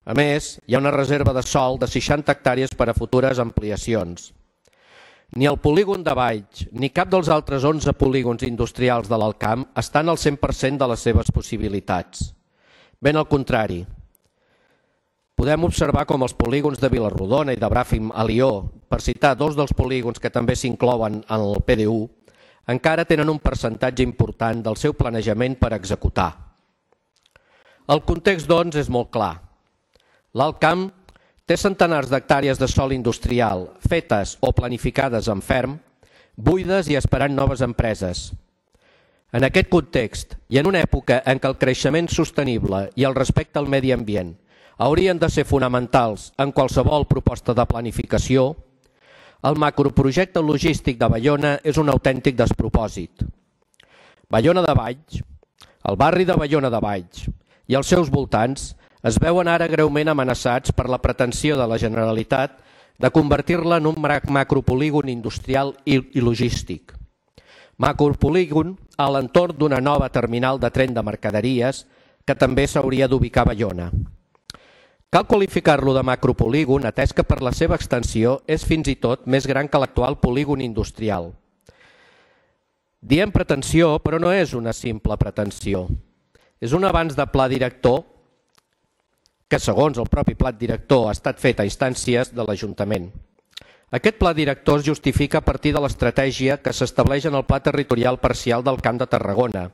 A més, hi ha una reserva de sòl de 60 hectàrees per a futures ampliacions. Ni el polígon de Valls ni cap dels altres 11 polígons industrials de l'Alt Camp estan al 100% de les seves possibilitats. Ben al contrari. Podem observar com els polígons de Vilarrodona i de Bràfim a Lió, per citar dos dels polígons que també s'inclouen en el PDU, encara tenen un percentatge important del seu planejament per executar. El context, doncs, és molt clar. L'Alt Camp té centenars d'hectàrees de sòl industrial fetes o planificades en ferm, buides i esperant noves empreses. En aquest context i en una època en què el creixement sostenible i el respecte al medi ambient haurien de ser fonamentals en qualsevol proposta de planificació, el macroprojecte logístic de Baiona és un autèntic despropòsit. Baiona de Valls, el barri de Baiona de Valls i els seus voltants es veuen ara greument amenaçats per la pretensió de la Generalitat de convertir-la en un macropolígon industrial i logístic. Macropolígon a l'entorn d'una nova terminal de tren de mercaderies que també s'hauria d'ubicar a Baiona. Cal qualificar-lo de macropolígon, atès que per la seva extensió és fins i tot més gran que l'actual polígon industrial. Diem pretensió, però no és una simple pretensió. És un avanç de pla director que, segons el propi pla director, ha estat fet a instàncies de l'Ajuntament. Aquest pla director es justifica a partir de l'estratègia que s'estableix en el Pla Territorial Parcial del Camp de Tarragona,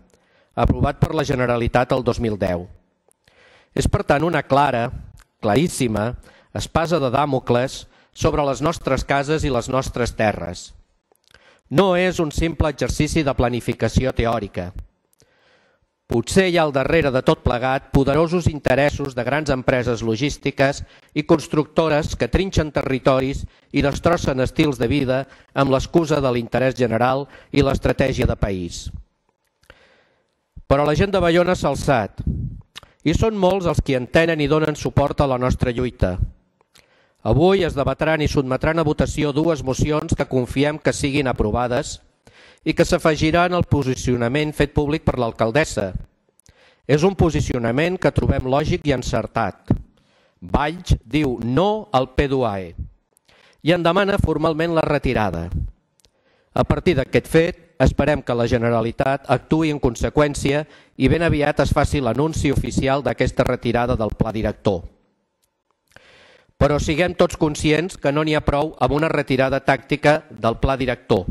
aprovat per la Generalitat el 2010. És, per tant, una claríssima espasa de Dàmocles sobre les nostres cases i les nostres terres. No és un simple exercici de planificació teòrica. Potser hi ha al darrere de tot plegat poderosos interessos de grans empreses logístiques i constructores que trinxen territoris i destrossen estils de vida amb l'excusa de l'interès general i l'estratègia de país. Però la gent de Baiona s'ha alçat i són molts els que entenen i donen suport a la nostra lluita. Avui es debatran i sotmetran a votació dues mocions que confiem que siguin aprovades i que s'afegiran al posicionament fet públic per l'alcaldessa. És un posicionament que trobem lògic i encertat. Valls diu no al P2AE i en demana formalment la retirada. A partir d'aquest fet, esperem que la Generalitat actuï en conseqüència i ben aviat es faci l'anunci oficial d'aquesta retirada del pla director. Però siguem tots conscients que no n'hi ha prou amb una retirada tàctica del pla director.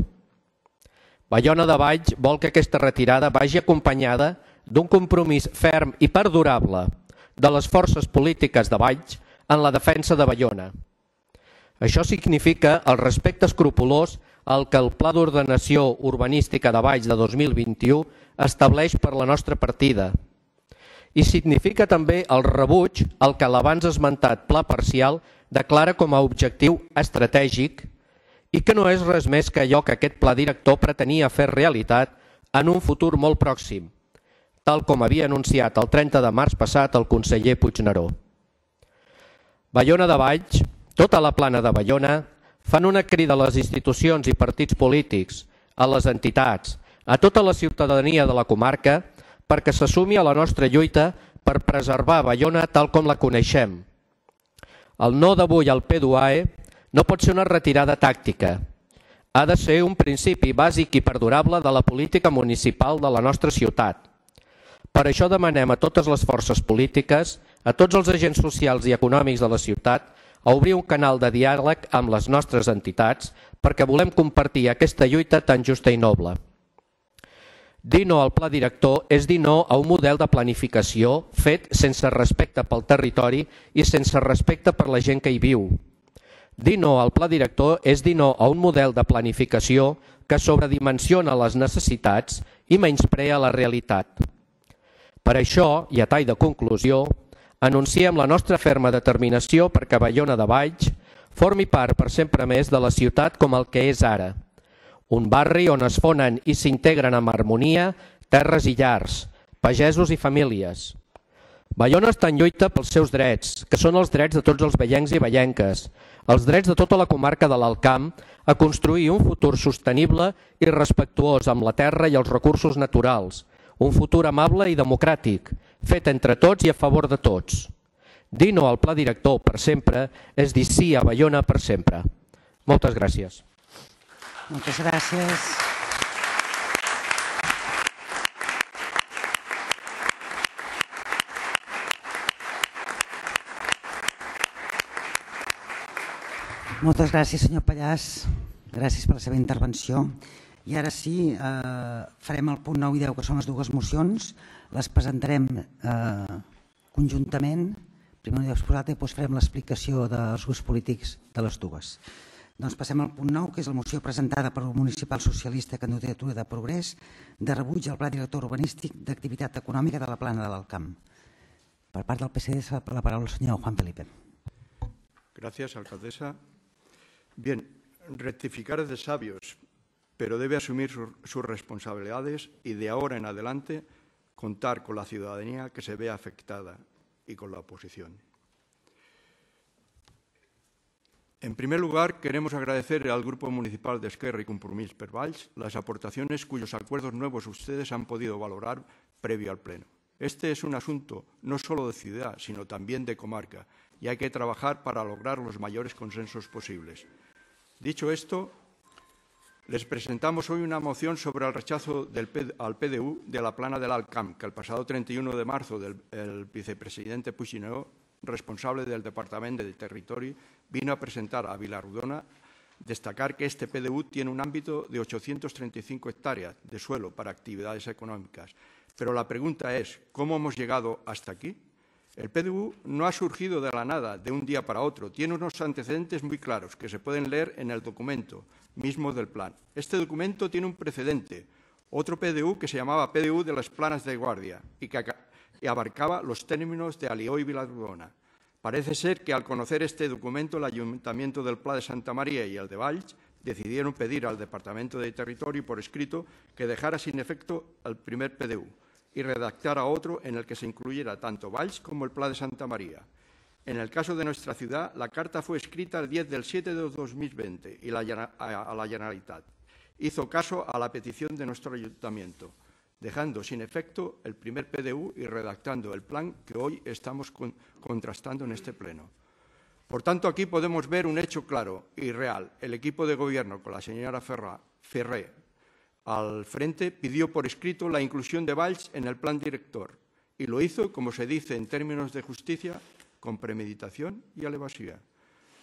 Baiona de Valls vol que aquesta retirada vagi acompanyada d'un compromís ferm i perdurable de les forces polítiques de Valls en la defensa de Baiona. Això significa el respecte escrupolós al que el Pla d'Ordenació Urbanística de Valls de 2021 estableix per la nostra partida. I significa també el rebuig al que l'abans esmentat pla parcial declara com a objectiu estratègic i que no és res més que allò que aquest pla director pretenia fer realitat en un futur molt pròxim, tal com havia anunciat el 30 de març passat el conseller Puigneró. Baiona de Valls, tota la plana de Baiona, fan una crida a les institucions i partits polítics, a les entitats, a tota la ciutadania de la comarca, perquè s'assumi a la nostra lluita per preservar Baiona tal com la coneixem. El no d'avui al P2AE no pot ser una retirada tàctica. Ha de ser un principi bàsic i perdurable de la política municipal de la nostra ciutat. Per això demanem a totes les forces polítiques, a tots els agents socials i econòmics de la ciutat, a obrir un canal de diàleg amb les nostres entitats perquè volem compartir aquesta lluita tan justa i noble. Dir no al pla director és dir no a un model de planificació fet sense respecte pel territori i sense respecte per la gent que hi viu. Dir no al pla director és dir no a un model de planificació que sobredimensiona les necessitats i menysprea la realitat. Per això, i a tall de conclusió, anunciem la nostra ferma determinació perquè Baiona de Valls formi part per sempre més de la ciutat com el que és ara. Un barri on es fonen i s'integren amb harmonia terres i llars, pagesos i famílies. Baiona està en lluita pels seus drets, que són els drets de tots els baiencs i baienques, els drets de tota la comarca de l'Alt Camp a construir un futur sostenible i respectuós amb la terra i els recursos naturals, un futur amable i democràtic, fet entre tots i a favor de tots. Dir no al pla director per sempre és dir sí a Baiona per sempre. Moltes gràcies. Moltes gràcies. Moltes gràcies, senyor Pallàs. Gràcies per la seva intervenció. I ara sí, farem el punt 9 i 10, que són les dues mocions. Les presentarem conjuntament. Primer ho heu exposat i després farem l'explicació dels grups polítics de les dues. Doncs passem al punt 9, que és la moció presentada per el Municipal Socialista Candidatura de Progrés de rebuig al Pla Director Urbanístic d'Activitat Econòmica de la Plana de l'Alt Camp. Per part del PSC, la paraula al senyor Juan Felipe. Gracias, alcaldesa. Bien, rectificar es de sabios, pero debe asumir sus responsabilidades y de ahora en adelante contar con la ciudadanía que se vea afectada y con la oposición. En primer lugar, queremos agradecer al Grupo Municipal de Esquerra y Compromís per Valls las aportaciones cuyos acuerdos nuevos ustedes han podido valorar previo al Pleno. Este es un asunto no solo de ciudad, sino también de comarca, y hay que trabajar para lograr los mayores consensos posibles. Dicho esto, les presentamos hoy una moción sobre el rechazo al PDU de la plana del Alt Camp, que el pasado 31 de marzo el vicepresidente Puigneró, responsable del Departamento de Territori, vino a presentar a Vilarrodona. Destacar que este PDU tiene un ámbito de 835 hectáreas de suelo para actividades económicas. Pero la pregunta es, ¿cómo hemos llegado hasta aquí? El PDU no ha surgido de la nada, de un día para otro. Tiene unos antecedentes muy claros que se pueden leer en el documento mismo del plan. Este documento tiene un precedente, otro PDU que se llamaba PDU de las Planas de Guardia y que abarcaba los términos de Alió y Vilarrodona. Parece ser que al conocer este documento el Ayuntamiento del Pla de Santa María y el de Valls decidieron pedir al Departamento de Territorio por escrito que dejara sin efecto el primer PDU y redactara otro en el que se incluyera tanto Valls como el Pla de Santa María. En el caso de nuestra ciudad, la carta fue escrita el 10/7 de 2020 y a la Generalitat hizo caso a la petición de nuestro Ayuntamiento, dejando sin efecto el primer PDU y redactando el plan que hoy estamos contrastando en este pleno. Por tanto, aquí podemos ver un hecho claro y real. El equipo de gobierno, con la señora Ferré al frente, pidió por escrito la inclusión de Valls en el plan director y lo hizo, como se dice en términos de justicia, con premeditación y alevosía,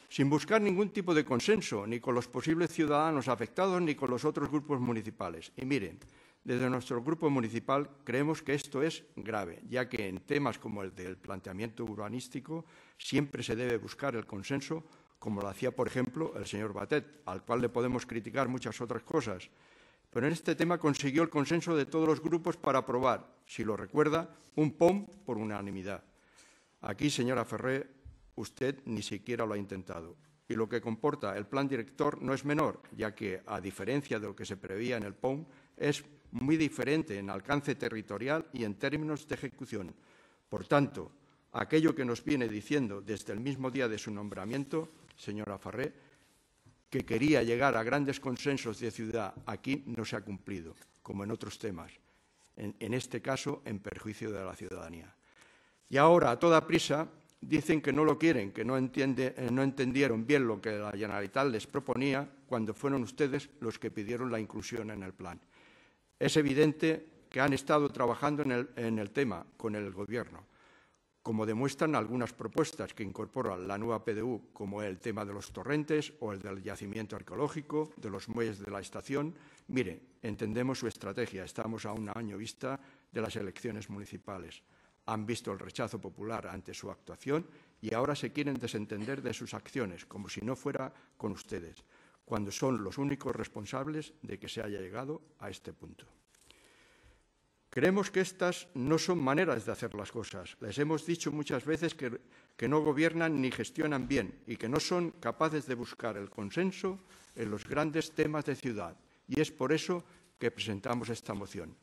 sin buscar ningún tipo de consenso, ni con los posibles ciudadanos afectados, ni con los otros grupos municipales. Y miren, desde nuestro grupo municipal creemos que esto es grave, ya que en temas como el del planteamiento urbanístico siempre se debe buscar el consenso, como lo hacía, por ejemplo, el señor Batet, al cual le podemos criticar muchas otras cosas. Pero en este tema consiguió el consenso de todos los grupos para aprobar, si lo recuerda, un POM por unanimidad. Aquí, señora Ferré, usted ni siquiera lo ha intentado. Y lo que comporta el plan director no es menor, ya que, a diferencia de lo que se preveía en el POM, es muy diferente en alcance territorial y en términos de ejecución. Por tanto, aquello que nos viene diciendo desde el mismo día de su nombramiento, señora Ferré, que quería llegar a grandes consensos de ciudad, aquí no se ha cumplido, como en otros temas, en este caso en perjuicio de la ciudadanía. Y ahora, a toda prisa, dicen que no lo quieren, que no entendieron bien lo que la Generalitat les proponía cuando fueron ustedes los que pidieron la inclusión en el plan. Es evidente que han estado trabajando en el tema con el Gobierno, como demuestran algunas propuestas que incorporan la nueva PDU, como el tema de los torrentes o el del yacimiento arqueológico, de los muelles de la estación. Mire, entendemos su estrategia, estamos a un año vista de las elecciones municipales. Han visto el rechazo popular ante su actuación y ahora se quieren desentender de sus acciones, como si no fuera con ustedes, cuando son los únicos responsables de que se haya llegado a este punto. Creemos que estas no son maneras de hacer las cosas. Les hemos dicho muchas veces que no gobiernan ni gestionan bien y que no son capaces de buscar el consenso en los grandes temas de ciudad. Y es por eso que presentamos esta moción.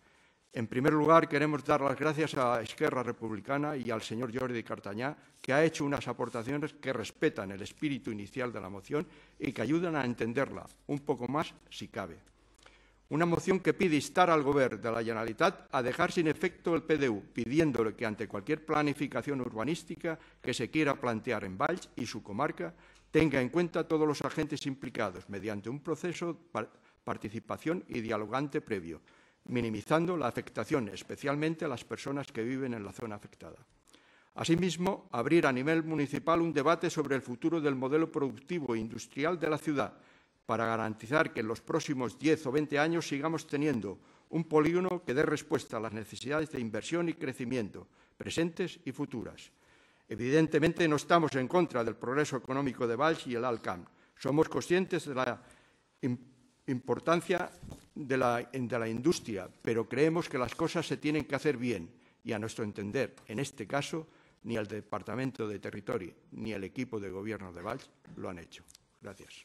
En primer lugar, queremos dar las gracias a Esquerra Republicana y al señor Jordi Cartañá, que ha hecho unas aportaciones que respetan el espíritu inicial de la moción y que ayudan a entenderla un poco más si cabe. Una moción que pide instar al Govern de la Generalitat a dejar sin efecto el PDU, pidiéndole que ante cualquier planificación urbanística que se quiera plantear en Valls y su comarca, tenga en cuenta a todos los agentes implicados mediante un proceso de participación y dialogante previo, minimizando la afectación, especialmente a las personas que viven en la zona afectada. Asimismo, abrir a nivel municipal un debate sobre el futuro del modelo productivo e industrial de la ciudad, para garantizar que en los próximos 10 o 20 años sigamos teniendo un polígono que dé respuesta a las necesidades de inversión y crecimiento, presentes y futuras. Evidentemente, no estamos en contra del progreso económico de Valls y el Alt Camp. Somos conscientes de la importancia de la industria, pero creemos que las cosas se tienen que hacer bien y, a nuestro entender, en este caso, ni el Departamento de Territorio ni el equipo de gobierno de Valls lo han hecho. Gracias.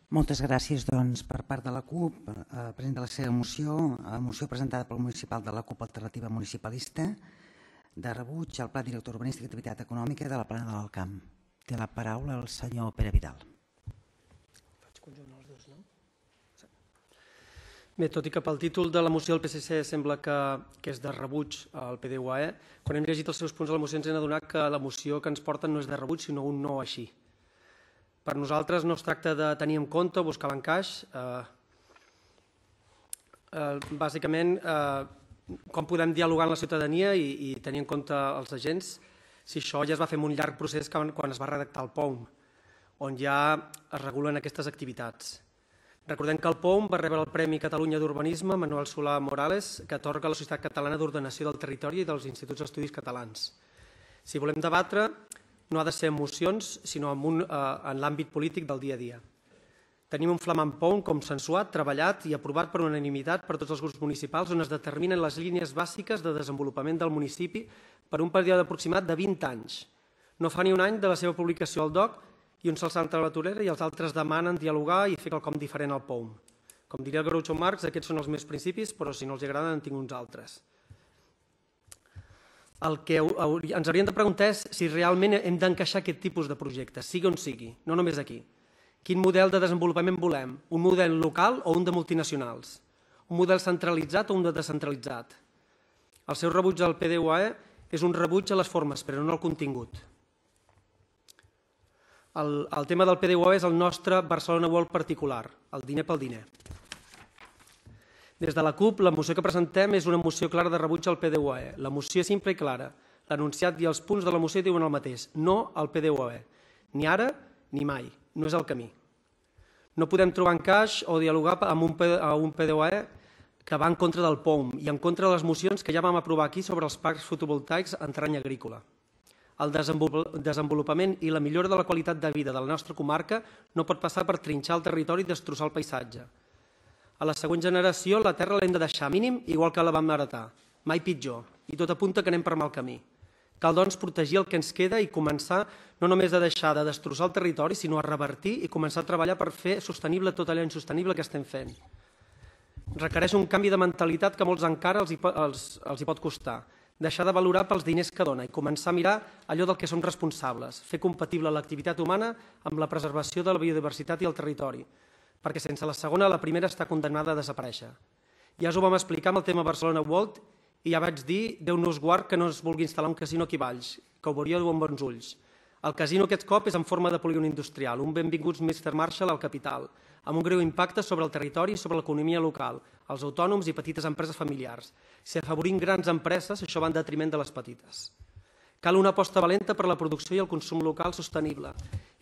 Moltes gràcies, doncs, per part de la CUP. Presenta la seva moció presentada pel municipal de la CUP Alternativa Municipalista, de rebuig al Pla Director Urbanístic i Activitat Econòmica de la Plana de l'Alt Camp. Té la paraula el senyor Pere Vidal. conjunt dels dos, no? Bé, tot i que pel títol de la moció del PSC sembla que és de rebuig al PDUAE, quan hem llegit els seus punts de la moció ens hem adonat que la moció que ens porten no és de rebuig, sinó un no així. Per nosaltres no es tracta de tenir en compte o buscar l'encaix. Bàsicament, com podem dialogar amb la ciutadania i tenir en compte els agents, si això ja es va fer en un llarg procés quan es va redactar el POUM, on ja es regulen aquestes activitats. Recordem que el POUM va rebre el Premi Catalunya d'Urbanisme Manuel Solà Morales, que atorga la Societat Catalana d'Ordenació del Territori i dels Instituts d'Estudis Catalans. Si volem debatre, no ha de ser en mocions, sinó en l'àmbit polític del dia a dia. Tenim un flamant POUM consensuat, treballat i aprovat per unanimitat per tots els grups municipals, on es determinen les línies bàsiques de desenvolupament del municipi per un període aproximat de 20 anys. No fa ni un any de la seva publicació al DOC i uns se'ls salten a la torera i els altres demanen dialogar i fer quelcom diferent al POUM. Com diria el Groucho Marx, aquests són els meus principis, però si no els agraden en tinc uns altres. El que ens hauríem de preguntar és si realment hem d'encaixar aquest tipus de projectes, sigui on sigui, no només aquí. Quin model de desenvolupament volem? Un model local o un de multinacionals? Un model centralitzat o un de descentralitzat? El seu rebuig al PDUAE és un rebuig a les formes, però no al contingut. El tema del PDUAE és el nostre Barcelona World particular, el diner pel diner. Des de la CUP, la moció que presentem és una moció clara de rebuig al PDUAE. La moció és simple i clara. L'enunciat i els punts de la moció diuen el mateix, no al PDUAE. Ni ara ni mai. No és el camí. No podem trobar encaix o dialogar amb un PDUAE que va en contra del POUM i en contra de les mocions que ja vam aprovar aquí sobre els parcs fotovoltaics en terreny agrícola. El desenvolupament i la millora de la qualitat de vida de la nostra comarca no pot passar per trinxar el territori i destrossar el paisatge. A la següent generació la terra l'hem de deixar mínim igual que la vam heretar, mai pitjor, i tot apunta que anem per mal camí. Cal, doncs, protegir el que ens queda i començar no només a deixar de destrossar el territori, sinó a revertir i començar a treballar per fer sostenible tot allò insostenible que estem fent. Requereix un canvi de mentalitat que a molts encara els hi pot costar. Deixar de valorar pels diners que dona i començar a mirar allò del que som responsables, fer compatible l'activitat humana amb la preservació de la biodiversitat i el territori, perquè sense la segona la primera està condemnada a desaparèixer. Ja us ho vam explicar amb el tema Barcelona World i ja vaig dir, Déu nos guard que no es vulgui instal·lar un casino aquí a Valls, que ho veuríeu amb bons ulls. El casino aquest cop és en forma de polígon industrial, un benvinguts Mr. Marshall al capital, amb un greu impacte sobre el territori i sobre l'economia local, els autònoms i petites empreses familiars. Si afavorim grans empreses, això va en detriment de les petites. Cal una aposta valenta per la producció i el consum local sostenible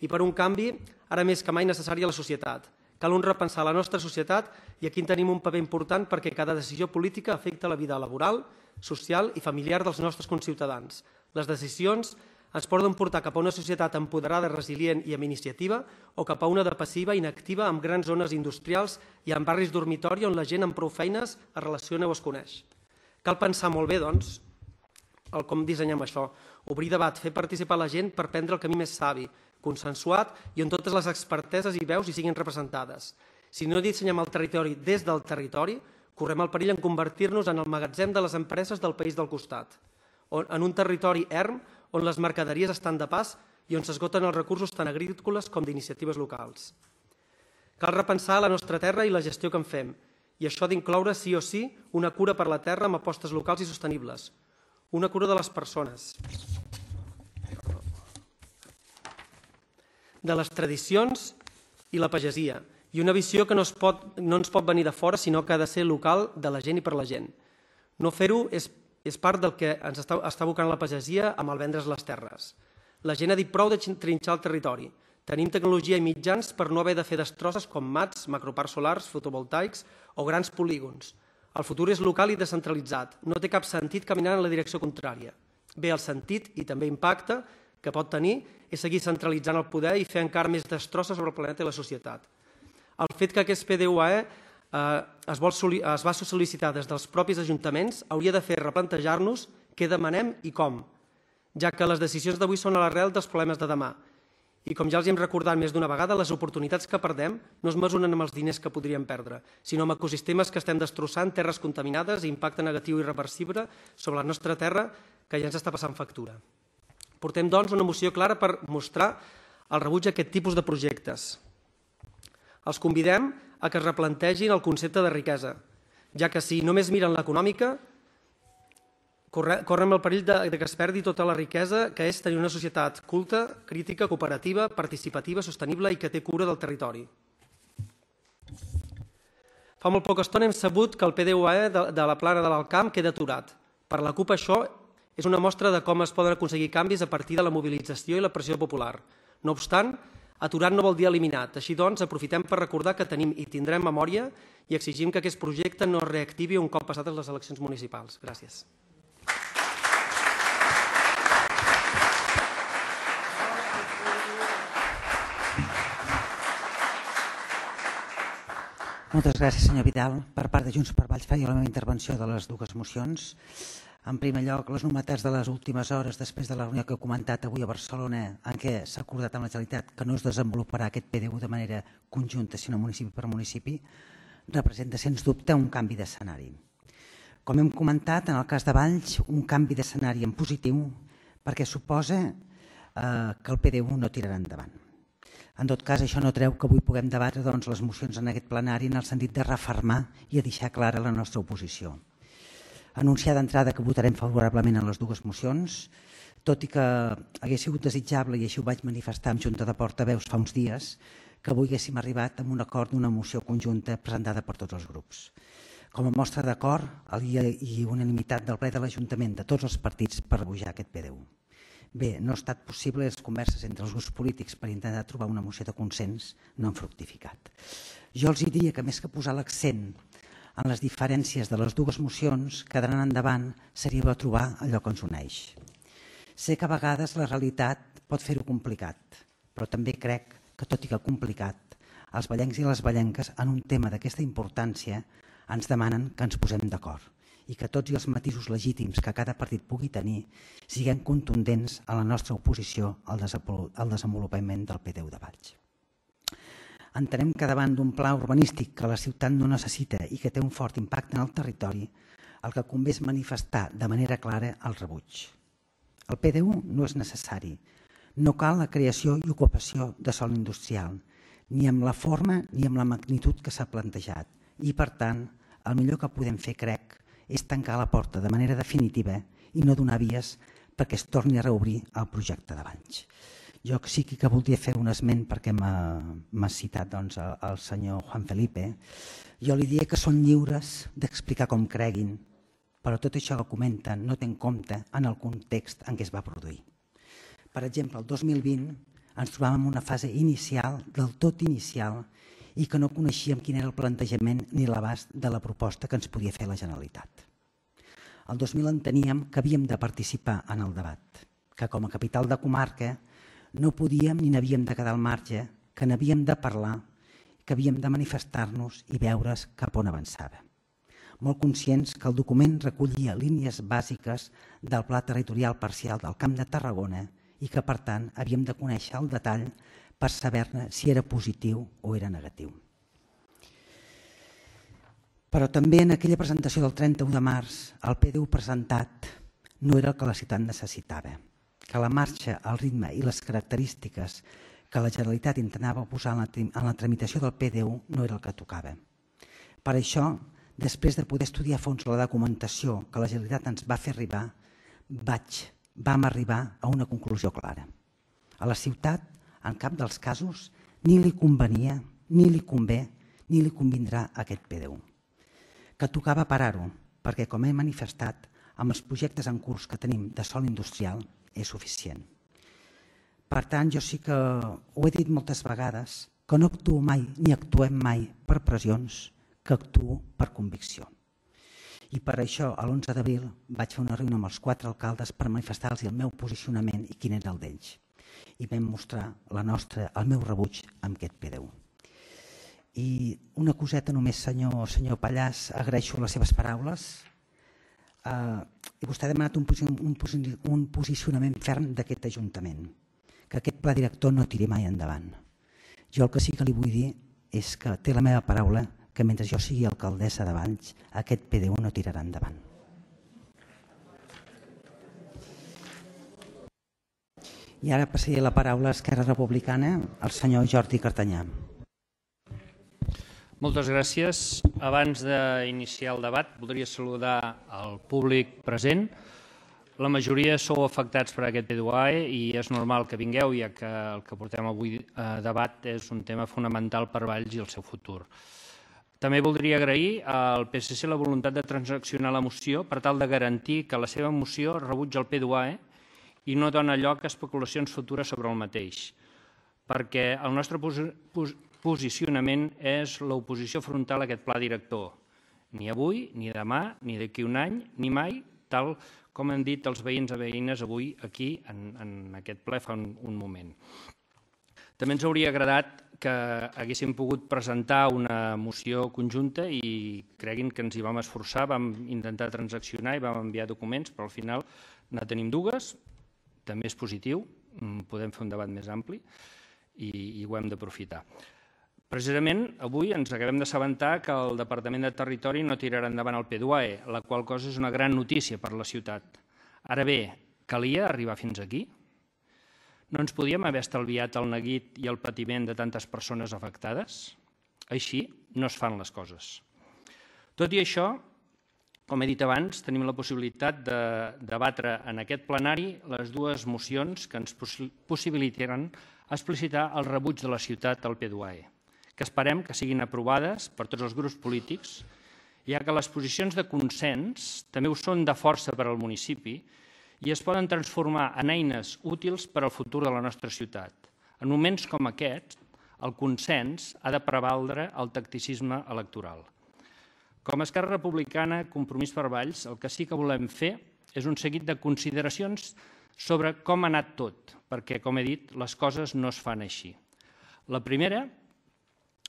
i per un canvi, ara més que mai necessari a la societat. Cal un repensar la nostra societat i aquí en tenim un paper important perquè cada decisió política afecta la vida laboral, social i familiar dels nostres conciutadans. Les decisions ens poden portar cap a una societat empoderada, resilient i amb iniciativa o cap a una de passiva, inactiva, amb grans zones industrials i amb barris dormitori on la gent amb prou feines es relaciona o es coneix. Cal pensar molt bé, doncs, com dissenyem això, obrir debat, fer participar la gent per prendre el camí més savi, consensuat i on totes les experteses i veus hi siguin representades. Si no dissenyem el territori des del territori, correm el perill en convertir-nos en el magatzem de les empreses del país del costat, en un territori erm on les mercaderies estan de pas i on s'esgoten els recursos tant agrícoles com d'iniciatives locals. Cal repensar la nostra terra i la gestió que en fem, i això ha d'incloure sí o sí una cura per la terra amb apostes locals i sostenibles, una cura de les persones, de les tradicions i la pagesia, i una visió que no ens pot venir de fora, sinó que ha de ser local, de la gent i per la gent. No fer-ho és part del que ens està abocant la pagesia amb el vendre's les terres. La gent ha dit prou de trinxar el territori. Tenim tecnologia i mitjans per no haver de fer destrosses com mats, macroparcs solars, fotovoltaics o grans polígons. El futur és local i descentralitzat. No té cap sentit caminar en la direcció contrària. Bé, el sentit i també impacte que pot tenir és seguir centralitzant el poder i fer encara més destrosses sobre el planeta i la societat. El fet que aquest PDUAE es va sol·licitar des dels propis ajuntaments hauria de fer replantejar-nos què demanem i com, ja que les decisions d'avui són a l'arrel dels problemes de demà. I com ja els hem recordat més d'una vegada, les oportunitats que perdem no es mesuren amb els diners que podríem perdre, sinó amb ecosistemes que estem destrossant, terres contaminades i impacte negatiu i irreversible sobre la nostra terra que ja ens està passant factura. Portem, doncs, una moció clara per mostrar el rebuig a aquest tipus de projectes. Els convidem a que es replantegin el concepte de riquesa, ja que si només miren l'econòmica, correm el perill que es perdi tota la riquesa que és tenir una societat culta, crítica, cooperativa, participativa, sostenible i que té cura del territori. Fa molt poca estona hem sabut que el PDUE de la plana de l'Alt Camp queda aturat. Per la CUP això és una mostra de com es poden aconseguir canvis a partir de la mobilització i la pressió popular. No obstant, aturat no vol dir eliminat. Així doncs, aprofitem per recordar que tenim i tindrem memòria i exigim que aquest projecte no es reactivi un cop passades les eleccions municipals. Gràcies. Moltes gràcies, senyor Vidal. Per part de Junts per Valls faria la meva intervenció de les dues mocions. En primer lloc, les novetats de les últimes hores després de la reunió que he comentat avui a Barcelona, en què s'ha acordat amb la Generalitat que no es desenvoluparà aquest PDU de manera conjunta, sinó municipi per municipi, representa, sens dubte, un canvi d'escenari. Com hem comentat, en el cas de Valls, un canvi d'escenari en positiu perquè suposa que el PDU no tirarà endavant. En tot cas, això no treu que avui puguem debatre les mocions en aquest plenari en el sentit de refermar i de deixar clara la nostra oposició. Anunciar d'entrada que votarem favorablement en les dues mocions, tot i que hagués sigut desitjable, i així ho vaig manifestar en Junta de Portaveus fa uns dies, que avui haguéssim arribat a un acord d'una moció conjunta presentada per tots els grups. Com a mostra d'acord i unanimitat del ple de l'Ajuntament de tots els partits per rebutjar aquest PDU. Bé, no ha estat possible, les converses entre els grups polítics per intentar trobar una moció de consens no han fructificat. Jo els diria que més que posar l'accent en les diferències de les dues mocions, que d'anar endavant seria trobar allò que ens uneix. Sé que a vegades la realitat pot fer-ho complicat, però també crec que, tot i que complicat, els vallencs i les vallenques en un tema d'aquesta importància ens demanen que ens posem d'acord i que tots els matisos legítims que cada partit pugui tenir siguem contundents a la nostra oposició al desenvolupament del PDU de Valls. Entenem que davant d'un pla urbanístic que la ciutat no necessita i que té un fort impacte en el territori, el que convé és manifestar de manera clara el rebuig. El PDU no és necessari. No cal la creació i ocupació de sòl industrial, ni amb la forma ni amb la magnitud que s'ha plantejat. I, per tant, el millor que podem fer, crec, és tancar la porta de manera definitiva i no donar vies perquè es torni a reobrir el projecte de Valls. Jo sí que voldria fer un esment perquè m'ha citat el senyor Juan Felipe. Jo li diria que són lliures d'explicar com creguin, però tot això que comenten no té en compte en el context en què es va produir. Per exemple, el 2020 ens trobàvem en una fase inicial, del tot inicial, i que no coneixíem quin era el plantejament ni l'abast de la proposta que ens podia fer la Generalitat. El 2000 enteníem que havíem de participar en el debat, que com a capital de comarca no podíem ni n'havíem de quedar al marge, que n'havíem de parlar, que havíem de manifestar-nos i veure's cap on avançava. Molt conscients que el document recollia línies bàsiques del Pla Territorial Parcial del Camp de Tarragona i que, per tant, havíem de conèixer el detall per saber-ne si era positiu o era negatiu. Però també en aquella presentació del 31 de març, el PDU presentat no era el que la ciutat necessitava, que la marxa, el ritme i les característiques que la Generalitat intentava posar en la tramitació del PDU no era el que tocava. Per això, després de poder estudiar a fons la documentació que la Generalitat ens va fer arribar, vam arribar a una conclusió clara. A la ciutat, en cap dels casos, ni li convenia, ni li convé, ni li convindrà aquest PDU. Que tocava parar-ho, perquè, com he manifestat, amb els projectes en curs que tenim de sòl industrial és suficient. Per tant, jo sí que ho he dit moltes vegades, que no actuo mai, ni actuem mai per pressions, que actuo per convicció. I per això, l'11 d'abril, vaig fer una reunió amb els 4 alcaldes per manifestar-los el meu posicionament i quin era el d'ells. I vam mostrar el meu rebuig amb aquest PDU. I una coseta només, senyor Pallàs, agraeixo les seves paraules. I vostè ha demanat un posicionament ferm d'aquest Ajuntament, que aquest pla director no tiri mai endavant. Jo el que sí que li vull dir és que té la meva paraula que mentre jo sigui alcaldessa de Valls, aquest PDU no tirarà endavant. I ara passaré la paraula a Esquerra Republicana al senyor Jordi Cartanyà. Moltes gràcies. Abans d'iniciar el debat, voldria saludar el públic present. La majoria sou afectats per aquest P2AE i és normal que vingueu, ja que el que portem avui a debat és un tema fonamental per Valls i el seu futur. També voldria agrair al PSC la voluntat de transaccionar la moció per tal de garantir que la seva moció rebutja el P2AE i no dona lloc a especulacions futures sobre el mateix, perquè el nostre posicionament és l'oposició frontal a aquest pla director. Ni avui, ni demà, ni d'aquí un any, ni mai, tal com han dit els veïns i veïnes avui aquí en aquest ple fa un moment. També ens hauria agradat que haguéssim pogut presentar una moció conjunta i creguin que ens hi vam esforçar, vam intentar transaccionar i vam enviar documents, però al final ne tenim dues, també és positiu, podem fer un debat més ampli i ho hem d'aprofitar. Precisament, avui ens acabem d'assabentar que el Departament de Territori no tirarà endavant el P2AE, la qual cosa és una gran notícia per la ciutat. Ara bé, calia arribar fins aquí? No ens podíem haver estalviat el neguit i el patiment de tantes persones afectades? Així no es fan les coses. Tot i això, com he dit abans, tenim la possibilitat de debatre en aquest plenari les dues mocions que ens possibilitaran explicitar el rebuig de la ciutat al P2AE, que esperem que siguin aprovades per tots els grups polítics, ja que les posicions de consens també ho són de força per al municipi i es poden transformar en eines útils per al futur de la nostra ciutat. En moments com aquests, el consens ha de prevaldre el tacticisme electoral. Com a Esquerra Republicana, Compromís per Valls, el que sí que volem fer és un seguit de consideracions sobre com ha anat tot, perquè, com he dit, les coses no es fan així. La primera,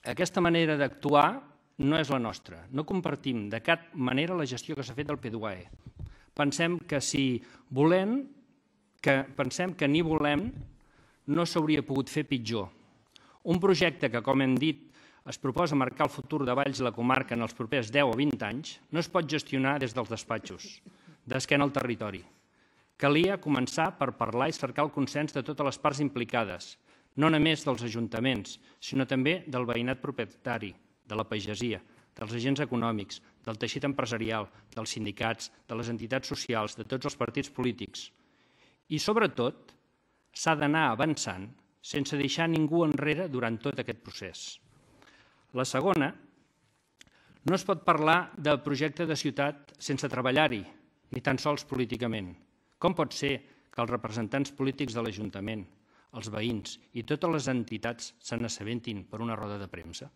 aquesta manera d'actuar no és la nostra. No compartim de cap manera la gestió que s'ha fet del P2AE. Pensem que ni volem no s'hauria pogut fer pitjor. Un projecte que, com hem dit, es proposa marcar el futur de Valls i la comarca en els propers 10 o 20 anys, no es pot gestionar des dels despatxos, d'esquena al territori. Calia començar per parlar i cercar el consens de totes les parts implicades, no només dels ajuntaments, sinó també del veïnat propietari, de la pagesia, dels agents econòmics, del teixit empresarial, dels sindicats, de les entitats socials, de tots els partits polítics. I, sobretot, s'ha d'anar avançant sense deixar ningú enrere durant tot aquest procés. La segona, no es pot parlar de projecte de ciutat sense treballar-hi, ni tan sols políticament. Com pot ser que els representants polítics de l'Ajuntament, els veïns i totes les entitats se n'assabentin per una roda de premsa?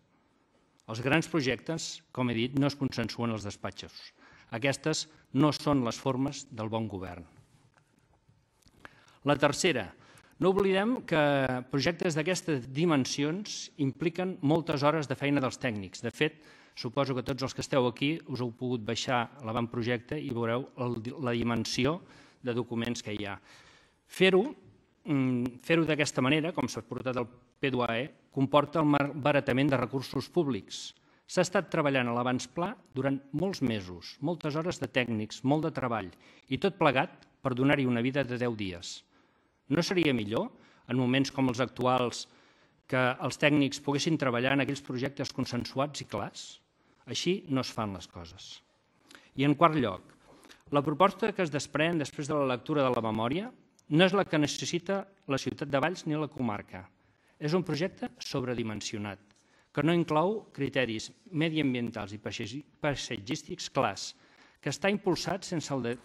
Els grans projectes, com he dit, no es consensuen als despatxos. Aquestes no són les formes del bon govern. La tercera, no oblidem que projectes d'aquestes dimensions impliquen moltes hores de feina dels tècnics. De fet, suposo que tots els que esteu aquí us heu pogut baixar l'avantprojecte i veureu la dimensió de documents que hi ha. Fer-ho d'aquesta manera, com s'ha portat el P2AE, comporta el malbaratament de recursos públics. S'ha estat treballant a l'abans pla durant molts mesos, moltes hores de tècnics, molt de treball, i tot plegat per donar-hi una vida de 10 dies. No seria millor, en moments com els actuals, que els tècnics poguessin treballar en aquells projectes consensuats i clars? Així no es fan les coses. I en quart lloc, la proposta que es desprèn després de la lectura de la memòria no és la que necessita la ciutat de Valls ni la comarca. És un projecte sobredimensionat, que no inclou criteris mediambientals i paisatgístics clars, que està impulsat sense el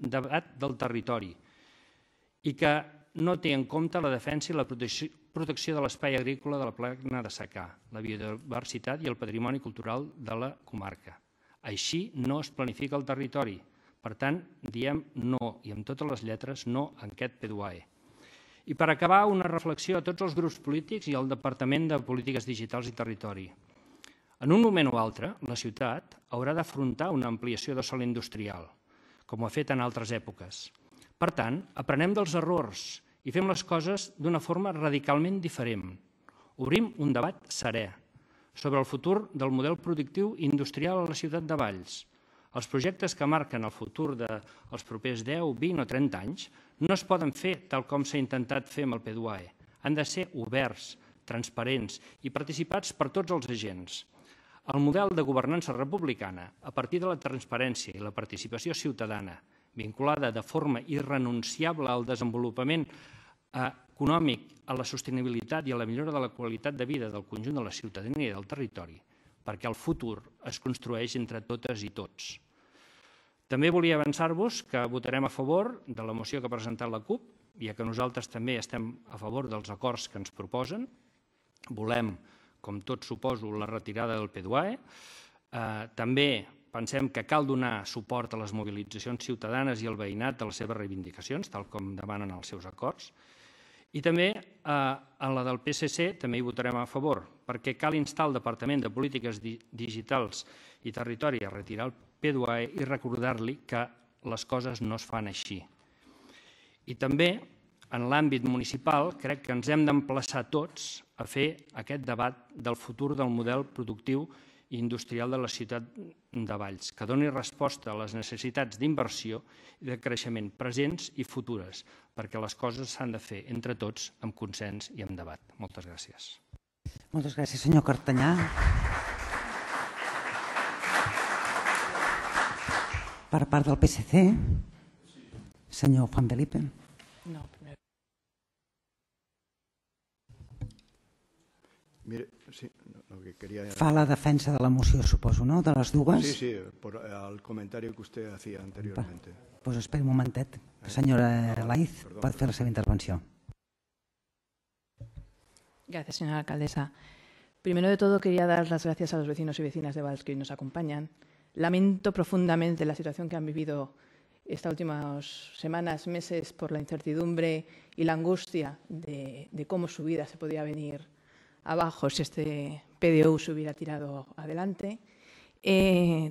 debat del territori i que no té en compte la defensa i la protecció de l'espai agrícola de la plana de secà, la biodiversitat i el patrimoni cultural de la comarca. Així no es planifica el territori. Per tant, diem no, i amb totes les lletres, no a aquest P2AE. I per acabar, una reflexió a tots els grups polítics i al Departament de Polítiques Digitals i Territori. En un moment o altre, la ciutat haurà d'afrontar una ampliació de sòl industrial, com ho ha fet en altres èpoques. Per tant, aprenem dels errors i fem les coses d'una forma radicalment diferent. Obrim un debat serè sobre el futur del model productiu industrial a la ciutat de Valls. Els projectes que marquen el futur dels propers 10, 20 o 30 anys no es poden fer tal com s'ha intentat fer amb el P2AE. Han de ser oberts, transparents i participats per tots els agents. El model de governança republicana, a partir de la transparència i la participació ciutadana, vinculada de forma irrenunciable al desenvolupament econòmic, a la sostenibilitat i a la millora de la qualitat de vida del conjunt de la ciutadania i del territori, perquè el futur es construeix entre totes i tots. També volia avançar-vos que votarem a favor de la moció que ha presentat la CUP, ja que nosaltres també estem a favor dels acords que ens proposen. Volem, com tots suposo, la retirada del PDUAE. També pensem que cal donar suport a les mobilitzacions ciutadanes i al veïnat de les seves reivindicacions, tal com demanen els seus acords. I també a la del PSC també hi votarem a favor, perquè cal instar el Departament de Polítiques Digitals i Territori a retirar el PDUAE i recordar-li que les coses no es fan així. I també, en l'àmbit municipal, crec que ens hem d'emplaçar tots a fer aquest debat del futur del model productiu i industrial de la ciutat de Valls, que doni resposta a les necessitats d'inversió i de creixement presents i futures, perquè les coses s'han de fer entre tots amb consens i amb debat. Moltes gràcies. Moltes gràcies, senyor Cartanyà. Per part del PSC, senyor Juan Felipe. No, primer. Mire, sí, lo que quería... Fa la defensa de la moció, suposo, no?, de les dues? Sí, sí, por el comentario que usted hacía anteriormente. Pues espera un momentet. Señora Laiz, pot fer la seva intervenció. Gracias, señora alcaldesa. Primero de todo, quería dar las gracias a los vecinos y vecinas de Valls que hoy nos acompañan. Lamento profundamente la situación que han vivido estas últimas semanas, meses, por la incertidumbre y la angustia de cómo su vida se podía venir abajo si este PDU se hubiera tirado adelante.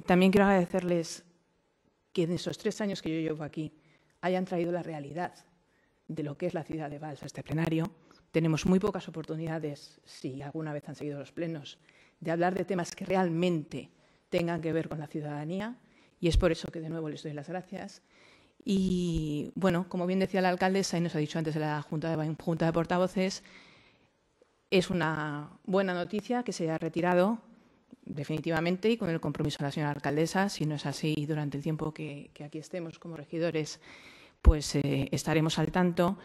También quiero agradecerles que en esos 3 años que yo llevo aquí hayan traído la realidad de lo que es la ciudad de Valls a este plenario. Tenemos muy pocas oportunidades, si alguna vez han seguido los plenos, de hablar de temas que realmente tengan que ver con la ciudadanía, y es por eso que de nuevo les doy las gracias. Y bueno, como bien decía la alcaldesa y nos ha dicho antes de la Junta de Portavoces, es una buena noticia que se haya retirado definitivamente y con el compromiso de la señora alcaldesa. Si no es así, durante el tiempo que aquí estemos como regidores, pues estaremos al tanto.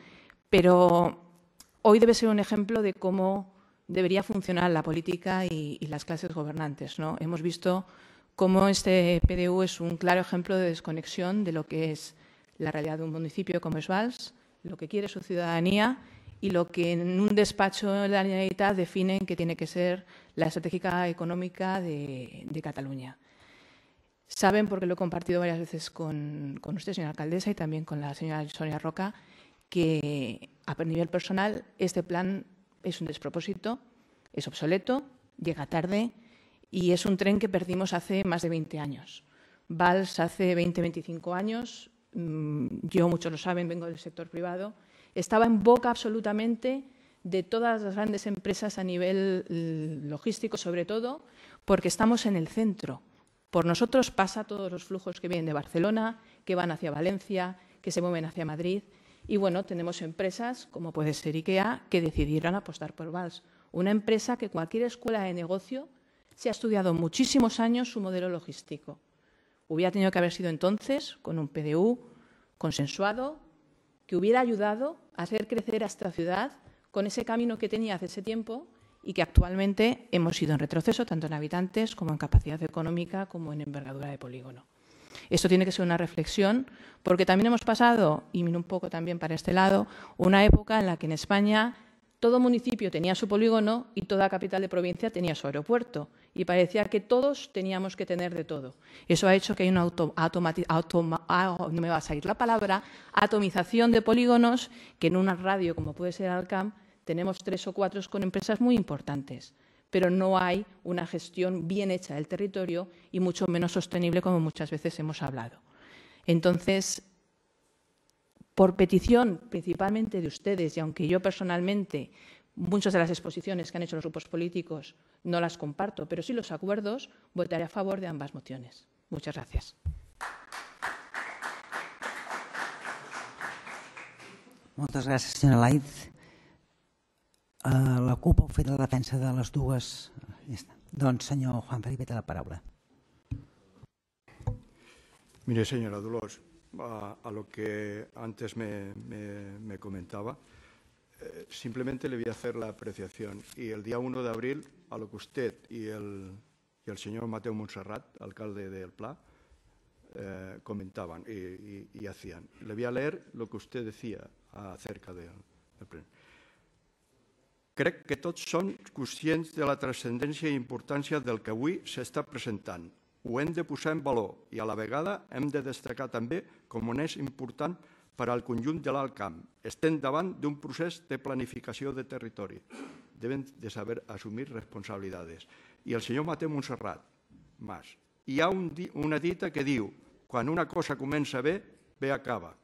Pero hoy debe ser un ejemplo de cómo debería funcionar la política y las clases gobernantes, ¿no? Hemos visto cómo este PDU es un claro ejemplo de desconexión de lo que es la realidad de un municipio como es Valls, lo que quiere su ciudadanía y lo que en un despacho de la Generalitat definen que tiene que ser la estrategia económica de Cataluña. Saben, porque lo he compartido varias veces con usted, señora alcaldesa, y también con la señora Sonia Roca, que a nivel personal este plan es un despropósito, es obsoleto, llega tarde y es un tren que perdimos hace más de 20 años. Valls hace 20-25 años, yo, muchos lo saben, vengo del sector privado, estaba en boca absolutamente de todas las grandes empresas a nivel logístico, sobre todo, porque estamos en el centro. Por nosotros pasa todos los flujos que vienen de Barcelona, que van hacia Valencia, que se mueven hacia Madrid. Y bueno, tenemos empresas, como puede ser IKEA, que decidieron apostar por Valls. Una empresa que cualquier escuela de negocio se ha estudiado muchísimos años su modelo logístico. Hubiera tenido que haber sido entonces con un PDU consensuado, que hubiera ayudado a hacer crecer a esta ciudad con ese camino que tenía hace ese tiempo y que actualmente hemos ido en retroceso, tanto en habitantes como en capacidad económica, como en envergadura de polígono. Esto tiene que ser una reflexión, porque también hemos pasado, y miro un poco también para este lado, una época en la que en España todo municipio tenía su polígono y toda capital de provincia tenía su aeropuerto. Y parecía que todos teníamos que tener de todo. Eso ha hecho que hay una no me va a salir la palabra, atomización de polígonos, que en una radio como puede ser Alcam tenemos 3 o 4 con empresas muy importantes. Pero no hay una gestión bien hecha del territorio y mucho menos sostenible, como muchas veces hemos hablado. Entonces, por petición principalmente de ustedes, y aunque yo personalmente muchas de las exposiciones que han hecho los grupos políticos no las comparto, pero sí los acuerdos, votaré a favor de ambas mociones. Muchas gracias. Moltes gràcies, senyora Laiz. La CUP ha fet la defensa de les dues. Ja està. Doncs, senyor Juan Felipe, té la paraula. Mire, señora Dolors, a lo que antes me comentaba, simplemente le voy a hacer la apreciación. Y el día 1 de abril, a lo que usted y el señor Mateo Montserrat, alcalde del Pla, comentaban y hacían. Le voy a leer lo que usted decía acerca del pleno. Crec que tots són conscients de la transcendència i importància del que avui s'està presentant. Ho hem de posar en valor i a la vegada hem de destacar també com on és important per al conjunt de l'Alt Camp. Estem davant d'un procés de planificació de territori. Deben de saber assumir responsabilitats. I el senyor Mateu Montserrat, Mas, hi ha una dita que diu quan una cosa comença bé, bé acaba.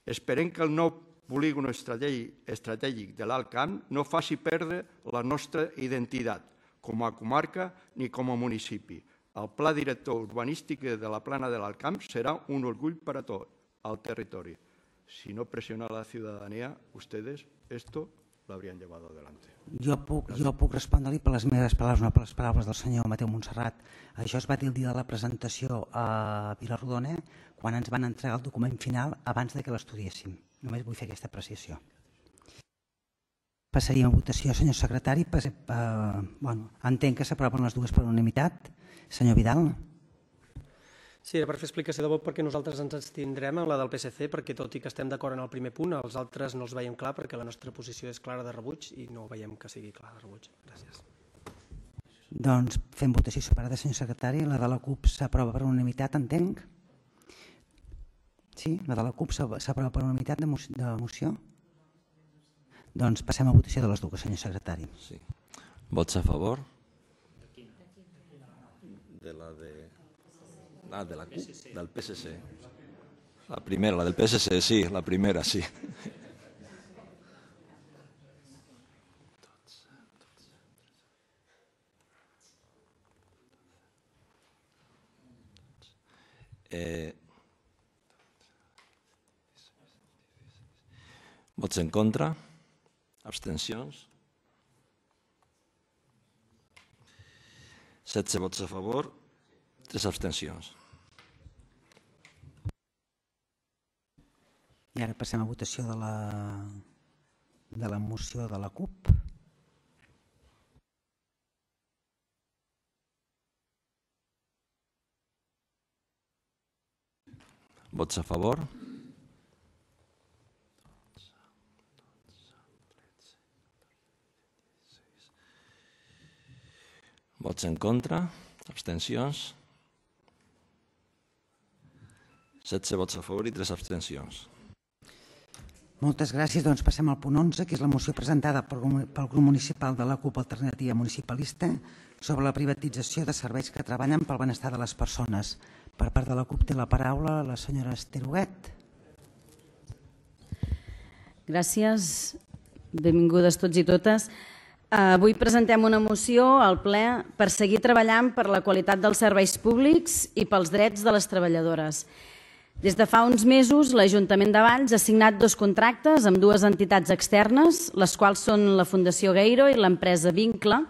Esperem que el nou polígon estratègic de l'Alt Camp no faci perdre la nostra identitat com a comarca ni com a municipi. El pla director urbanístic de la Plana de l'Alt Camp serà un orgull per a tot el territori. Si no presiona a la ciudadanía, ustedes esto lo habrían llevado adelante. Jo puc respondre-li per les meves paraules, no per les paraules del senyor Mateu Montserrat. Això es va dir el dia de la presentació a Vilarrodona, quan ens van entregar el document final abans que l'estudiéssim. Només vull fer aquesta apreciació. Passaríem a votació, senyor secretari. Entenc que s'aproven les dues per unanimitat. Senyor Vidal. Sí, era per fer explicació de vot perquè nosaltres ens abstindrem en la del PSC perquè tot i que estem d'acord en el primer punt, els altres no els veiem clar perquè la nostra posició és clara de rebuig i no veiem que sigui clara de rebuig. Gràcies. Doncs fem votació separada, senyor secretari. La de la CUP s'aprova per unanimitat, entenc? Sí? La de la CUP s'aprova per unanimitat de moció? Doncs passem a votació de les dues, senyor secretari. Sí. Vots a favor? De la de... Ah, de la CUP, del PSC. La primera, la del PSC, sí, la primera, sí. Vots en contra? Abstencions? 16 vots a favor, 3 abstencions. I ara passem a votació de la moció de la CUP. Vots a favor? Vots en contra? Abstencions? 16 vots a favor i 3 abstencions. Moltes gràcies. Doncs passem al punt 11, que és la moció presentada pel grup municipal de la CUP Alternativa Municipalista sobre la privatització de serveis que treballen pel benestar de les persones. Per part de la CUP té la paraula la senyora Esther Huguet. Gràcies. Benvingudes tots i totes. Avui presentem una moció al ple per seguir treballant per la qualitat dels serveis públics i pels drets de les treballadores. Des de fa uns mesos, l'Ajuntament de Valls ha signat 2 contractes amb 2 entitats externes, les quals són la Fundació Gueiro i l'empresa Vincle.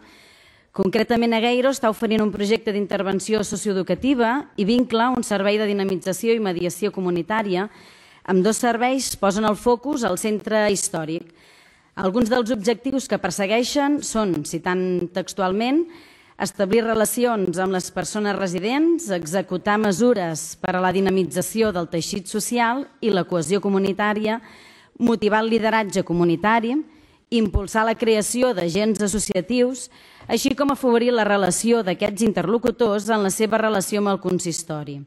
Concretament, Gueiro està oferint un projecte d'intervenció socioeducativa i Vincle un servei de dinamització i mediació comunitària. Ambdós serveis posen el focus al centre històric. Alguns dels objectius que persegueixen són, citant textualment, establir relacions amb les persones residents, executar mesures per a la dinamització del teixit social i la cohesió comunitària, motivar el lideratge comunitari, impulsar la creació d'agents associatius, així com afavorir la relació d'aquests interlocutors en la seva relació amb el consistori.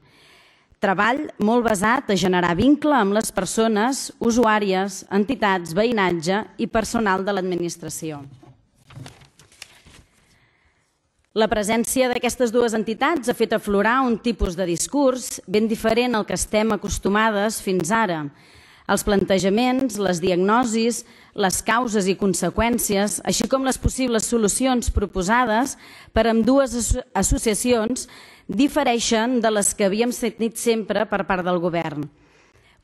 Treball molt basat a generar vincle amb les persones, usuàries, entitats, veïnatge i personal de l'administració. La presència d'aquestes 2 entitats ha fet aflorar un tipus de discurs ben diferent al que estem acostumades fins ara. Els plantejaments, les diagnosis, les causes i conseqüències, així com les possibles solucions proposades per ambdues associacions, difereixen de les que havíem sentit sempre per part del govern.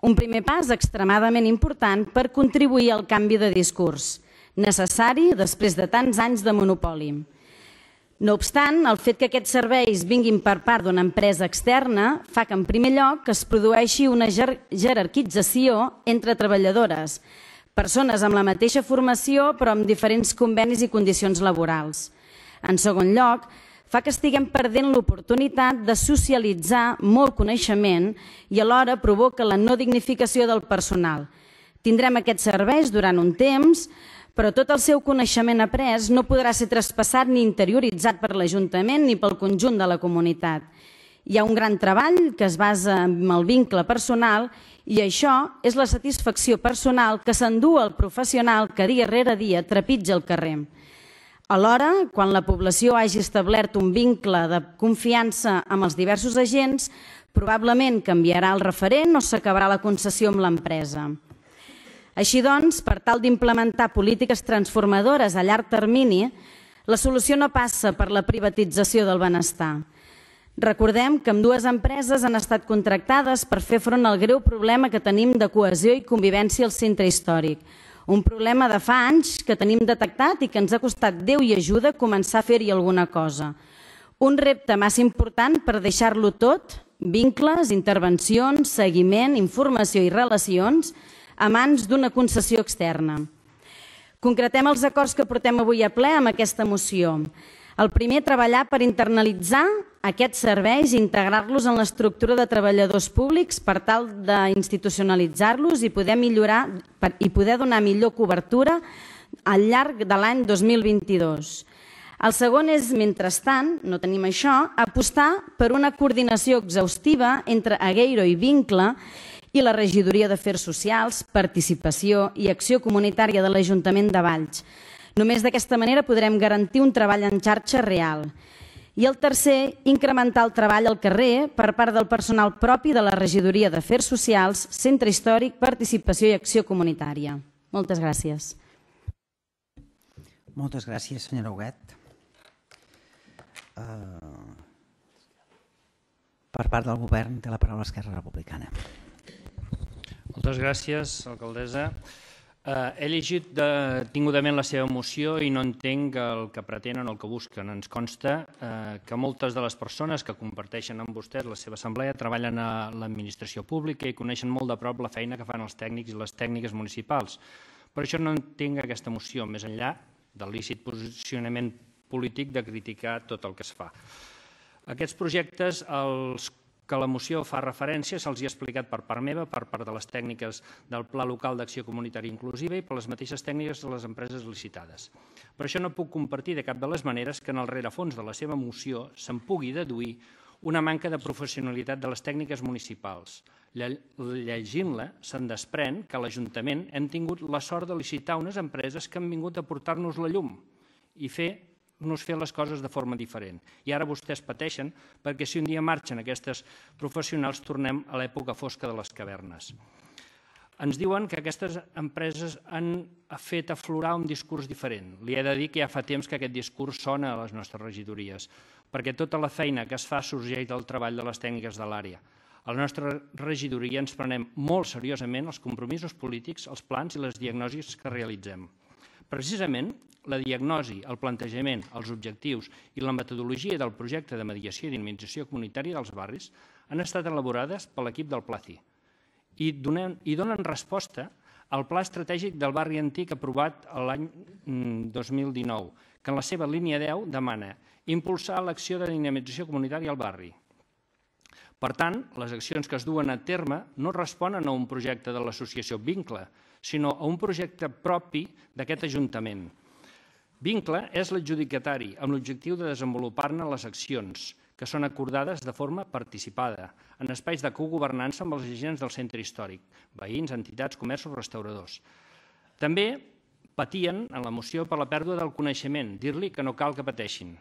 Un primer pas extremadament important per contribuir al canvi de discurs, necessari després de tants anys de monopoli. No obstant, el fet que aquests serveis vinguin per part d'una empresa externa fa que, en primer lloc, es produeixi una jerarquització entre treballadores, persones amb la mateixa formació però amb diferents convenis i condicions laborals. En segon lloc, fa que estiguem perdent l'oportunitat de socialitzar molt coneixement i alhora provoca la no dignificació del personal. Tindrem aquests serveis durant un temps, però tot el seu coneixement après no podrà ser traspassat ni interioritzat per l'Ajuntament ni pel conjunt de la comunitat. Hi ha un gran treball que es basa en el vincle personal i això és la satisfacció personal que s'endú el professional que dia rere dia trepitja el carrer. Alhora, quan la població hagi establert un vincle de confiança amb els diversos agents, probablement canviarà el referent o s'acabarà la concessió amb l'empresa. Així doncs, per tal d'implementar polítiques transformadores a llarg termini, la solució no passa per la privatització del benestar. Recordem que ambdues empreses han estat contractades per fer front al greu problema que tenim de cohesió i convivència al centre històric. Un problema de fa anys que tenim detectat i que ens ha costat Déu i ajuda començar a fer-hi alguna cosa. Un repte massa important per deixar-lo tot, vincles, intervencions, seguiment, informació i relacions, a mans d'una concessió externa. Concretem els acords que portem avui a ple amb aquesta moció. El primer, treballar per internalitzar aquests serveis i integrar-los en l'estructura de treballadors públics per tal d'institucionalitzar-los i poder millorar i poder donar millor cobertura al llarg de l'any 2022. El segon és, mentrestant, no tenim això, apostar per una coordinació exhaustiva entre Agueiro i Vincle i la Regidoria d'Afers Socials, Participació i Acció Comunitària de l'Ajuntament de Valls. Només d'aquesta manera podrem garantir un treball en xarxa real. I el tercer, incrementar el treball al carrer per part del personal propi de la Regidoria d'Afers Socials, Centre Històric, Participació i Acció Comunitària. Moltes gràcies. Moltes gràcies, senyora Huguet. Per part del govern té la paraula Esquerra Republicana. Moltes gràcies, alcaldessa. He llegit detingudament la seva moció i no entenc el que pretenen o el que busquen. Ens consta que moltes de les persones que comparteixen amb vostès la seva assemblea treballen a l'administració pública i coneixen molt de prop la feina que fan els tècnics i les tècniques municipals. Per això no entenc aquesta moció, més enllà del lícit posicionament polític de criticar tot el que es fa. Aquests projectes, els que la moció fa referència, se'ls ha explicat per part meva, per part de les tècniques del Pla Local d'Acció Comunitària Inclusiva i per les mateixes tècniques de les empreses licitades. Per això no puc compartir de cap de les maneres que en el rerefons de la seva moció se'n pugui deduir una manca de professionalitat de les tècniques municipals. Llegint-la, se'n desprèn que a l'Ajuntament hem tingut la sort de licitar unes empreses que han vingut a portar-nos la llum i fer les coses de forma diferent. I ara vostès pateixen perquè si un dia marxen aquestes professionals tornem a l'època fosca de les cavernes. Ens diuen que aquestes empreses han fet aflorar un discurs diferent. Li he de dir que ja fa temps que aquest discurs sona a les nostres regidories, perquè tota la feina que es fa sorgeix del treball de les tècniques de l'àrea. A la nostra regidoria ens prenem molt seriosament els compromisos polítics, els plans i les diagnosis que realitzem. Precisament, la diagnosi, el plantejament, els objectius i la metodologia del projecte de mediació i dinamització comunitària dels barris han estat elaborades per l'equip del PLACI i donen resposta al Pla Estratègic del Barri Antic aprovat l'any 2019, que en la seva línia 10 demana impulsar l'acció de dinamització comunitària al barri. Per tant, les accions que es duen a terme no responen a un projecte de l'associació Vincle, sinó a un projecte propi d'aquest Ajuntament. Vincle és l'adjudicatari amb l'objectiu de desenvolupar-ne les accions, que són acordades de forma participada, en espais de cogovernança amb els agents del centre històric, veïns, entitats, comerços, restauradors. També patien en la moció per la pèrdua del coneixement, dir-li que no cal que pateixin.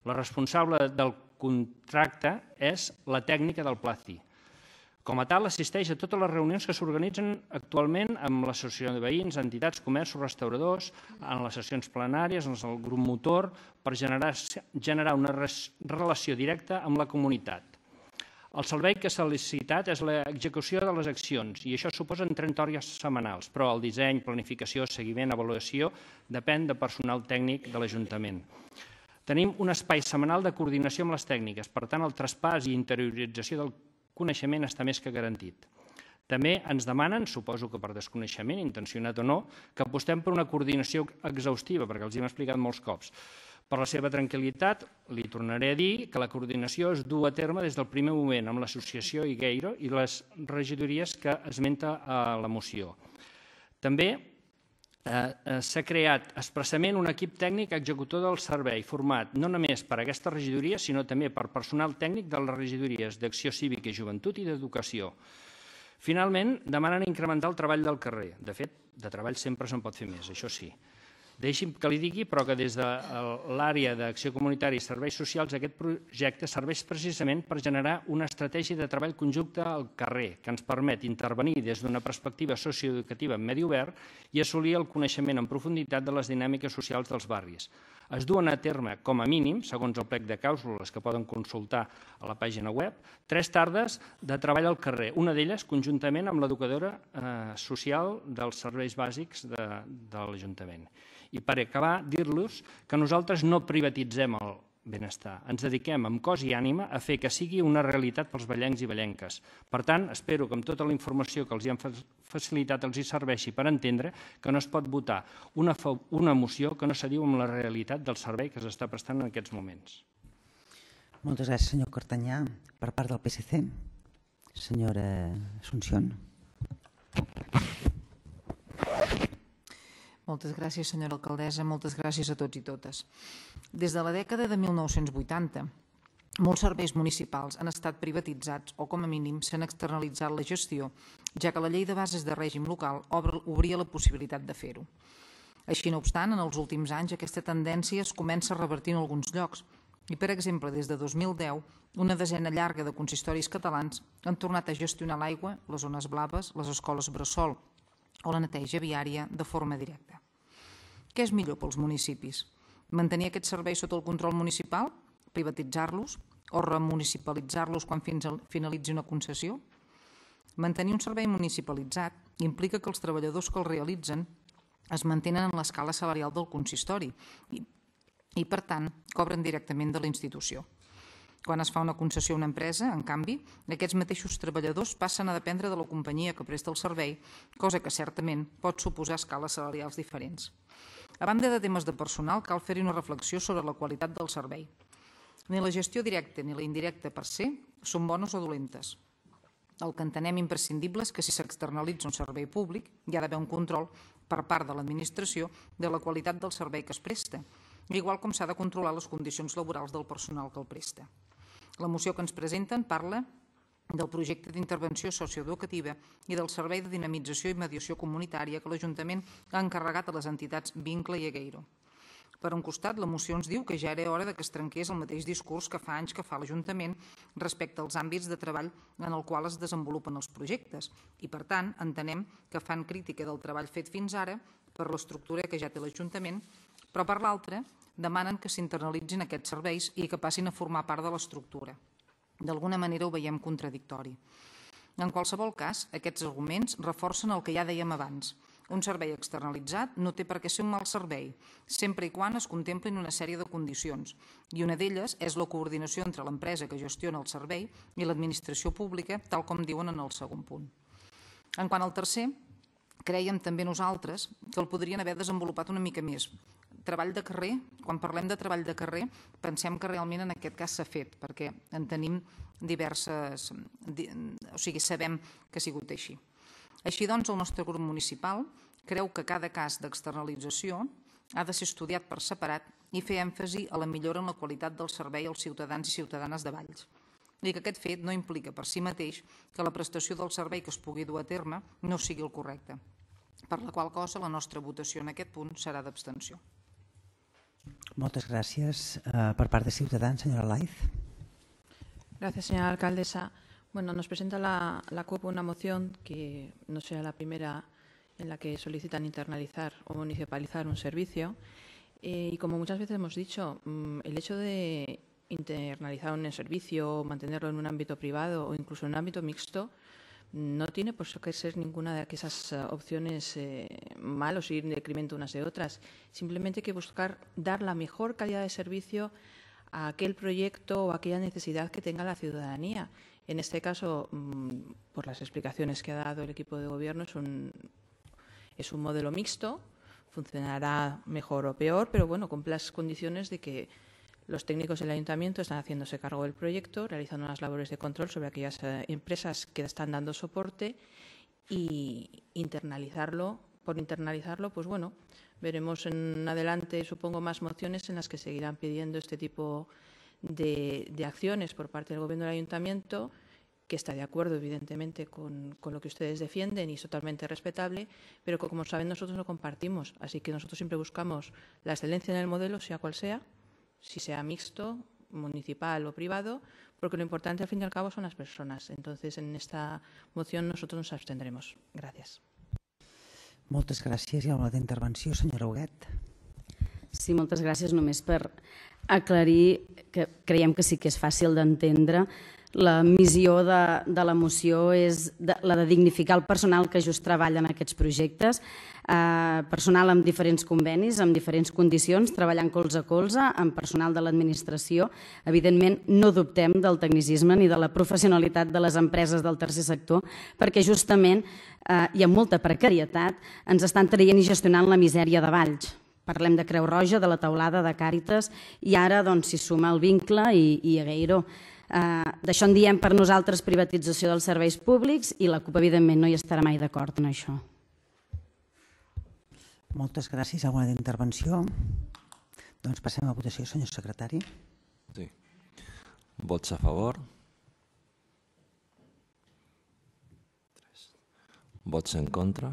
La responsable del contracte és la tècnica del PLACI. Com a tal, assisteix a totes les reunions que s'organitzen actualment amb l'associació de veïns, entitats, comerços, restauradors, en les sessions plenàries, en el grup motor, per generar una relació directa amb la comunitat. El servei que s'ha licitat és l'execució de les accions i això suposa 30 hores setmanals, però el disseny, planificació, seguiment, avaluació depèn de personal tècnic de l'Ajuntament. Tenim un espai setmanal de coordinació amb les tècniques, per tant, el traspàs i interiorització del coneixement està més que garantit. També ens demanen, suposo que per desconeixement, intencionat o no, que apostem per una coordinació exhaustiva, perquè els hi hem explicat molts cops. Per la seva tranquil·litat, li tornaré a dir que la coordinació es du a terme des del primer moment amb l'associació Igueiro i les regidories que esmenta a la moció. També s'ha creat expressament un equip tècnic executor del servei, format no només per aquesta regidoria, sinó també per personal tècnic de les regidories d'Acció Cívica i Joventut i d'Educació. Finalment, demanen incrementar el treball del carrer. De fet, de treball sempre se'n pot fer més, això sí. Deixi'm que li digui, però que des de l'àrea d'Acció Comunitària i Serveis Socials aquest projecte serveix precisament per generar una estratègia de treball conjunta al carrer que ens permet intervenir des d'una perspectiva socioeducativa en medi obert i assolir el coneixement en profunditat de les dinàmiques socials dels barris. Es duen a terme, com a mínim, segons el plec de clàusules que poden consultar a la pàgina web, 3 tardes de treball al carrer, una d'elles conjuntament amb l'educadora social dels serveis bàsics de l'Ajuntament. I per acabar, dir-los que nosaltres no privatitzem el benestar. Ens dediquem amb cos i ànima a fer que sigui una realitat pels ballencs i ballenques. Per tant, espero que amb tota la informació que els hi han facilitat els hi serveixi per entendre que no es pot votar una moció que no s'adiu amb la realitat del servei que s'està prestant en aquests moments. Moltes gràcies, senyor Cartanyà. Per part del PSC, senyora Asunción. Moltes gràcies, senyora alcaldessa, moltes gràcies a tots i totes. Des de la dècada de 1980, molts serveis municipals han estat privatitzats o, com a mínim, s'han externalitzat la gestió, ja que la llei de bases de règim local obria la possibilitat de fer-ho. Així no obstant, en els últims anys aquesta tendència es comença a revertir en alguns llocs i, per exemple, des de 2010, una desena llarga de consistoris catalans han tornat a gestionar l'aigua, les zones blaves, les escoles bressol o la neteja viària de forma directa. Què és millor pels municipis? Mantenir aquests serveis sota el control municipal? Privatitzar-los? O remunicipalitzar-los quan finalitzi una concessió? Mantenir un servei municipalitzat implica que els treballadors que el realitzen es mantenen en l'escala salarial del consistori i, per tant, cobren directament de la institució. Quan es fa una concessió a una empresa, en canvi, aquests mateixos treballadors passen a dependre de la companyia que presta el servei, cosa que certament pot suposar escales salarials diferents. A banda de temes de personal, cal fer-hi una reflexió sobre la qualitat del servei. Ni la gestió directa ni la indirecta per se són bones o dolentes. El que entenem imprescindible és que si s'externalitza un servei públic hi ha d'haver un control per part de l'administració de la qualitat del servei que es presta, igual com s'ha de controlar les condicions laborals del personal que el presta. La moció que ens presenten parla del projecte d'intervenció socioeducativa i del servei de dinamització i mediació comunitària que l'Ajuntament ha encarregat a les entitats Vincle i Igueiro. Per un costat, la moció ens diu que ja era hora que es trenqués el mateix discurs que fa anys que fa l'Ajuntament respecte als àmbits de treball en el qual es desenvolupen els projectes i, per tant, entenem que fan crítica del treball fet fins ara per l'estructura que ja té l'Ajuntament, però per l'altra demanen que s'internalitzin aquests serveis i que passin a formar part de l'estructura. D'alguna manera ho veiem contradictori. En qualsevol cas, aquests arguments reforcen el que ja dèiem abans. Un servei externalitzat no té per què ser un mal servei, sempre i quan es contemplin una sèrie de condicions, i una d'elles és la coordinació entre l'empresa que gestiona el servei i l'administració pública, tal com diuen en el segon punt. En quant al tercer, crèiem també nosaltres que el podrien haver desenvolupat una mica més. Treball de carrer, quan parlem de treball de carrer, pensem que realment en aquest cas s'ha fet, perquè en tenim diverses, o sigui, sabem que ha sigut així. Així doncs, el nostre grup municipal creu que cada cas d'externalització ha de ser estudiat per separat i fer èmfasi a la millora en la qualitat del servei als ciutadans i ciutadanes de Valls. I que aquest fet no implica per si mateix que la prestació del servei que es pugui dur a terme no sigui el correcte, per la qual cosa la nostra votació en aquest punt serà d'abstenció. Moltes gràcies. Per part de Ciutadans, senyora Laiz. Gracias, señora alcaldesa. Bueno, nos presenta la CUP una moción que no sea la primera en la que solicitan internalizar o municipalizar un servicio. Y como muchas veces hemos dicho, el hecho de internalizar un servicio, mantenerlo en un ámbito privado o incluso en un ámbito mixto, No tiene por qué ser ninguna de esas opciones malas o ir en detrimento unas de otras. Simplemente hay que buscar dar la mejor calidad de servicio a aquel proyecto o a aquella necesidad que tenga la ciudadanía. En este caso, por las explicaciones que ha dado el equipo de gobierno, es un modelo mixto, funcionará mejor o peor, pero bueno, cumple las condiciones de que los técnicos del ayuntamiento están haciéndose cargo del proyecto, realizando unas labores de control sobre aquellas empresas que están dando soporte y por internalizarlo, pues bueno, veremos en adelante, supongo, más mociones en las que seguirán pidiendo este tipo de acciones por parte del Gobierno del Ayuntamiento, que está de acuerdo, evidentemente, con lo que ustedes defienden y es totalmente respetable, pero que, como saben, nosotros lo compartimos. Así que nosotros siempre buscamos la excelencia en el modelo, sea cual sea, si sea mixto, municipal o privado, porque lo importante, al fin y al cabo, son las personas. Entonces, en esta moción nosotros nos abstendremos. Gràcies. Moltes gràcies. Hi ha una intervenció, senyora Huguet. Sí, moltes gràcies. Només per aclarir que creiem que sí que és fàcil d'entendre. La missió de la moció és la de dignificar el personal que just treballa en aquests projectes, personal amb diferents convenis, amb diferents condicions, treballant colze a colze, amb personal de l'administració. Evidentment, no dubtem del tecnicisme ni de la professionalitat de les empreses del tercer sector, perquè justament hi ha molta precarietat, ens estan traient i gestionant la misèria de Valls. Parlem de Creu Roja, de la Teulada, de Càritas, i ara s'hi suma el Vincle i Agueiro. D'això en diem per nosaltres privatització dels serveis públics i la CUP, evidentment, no hi estarà mai d'acord en això. Moltes gràcies. Alguna intervenció? Doncs passem a votació, senyor secretari. Sí. Vots a favor. Vots en contra.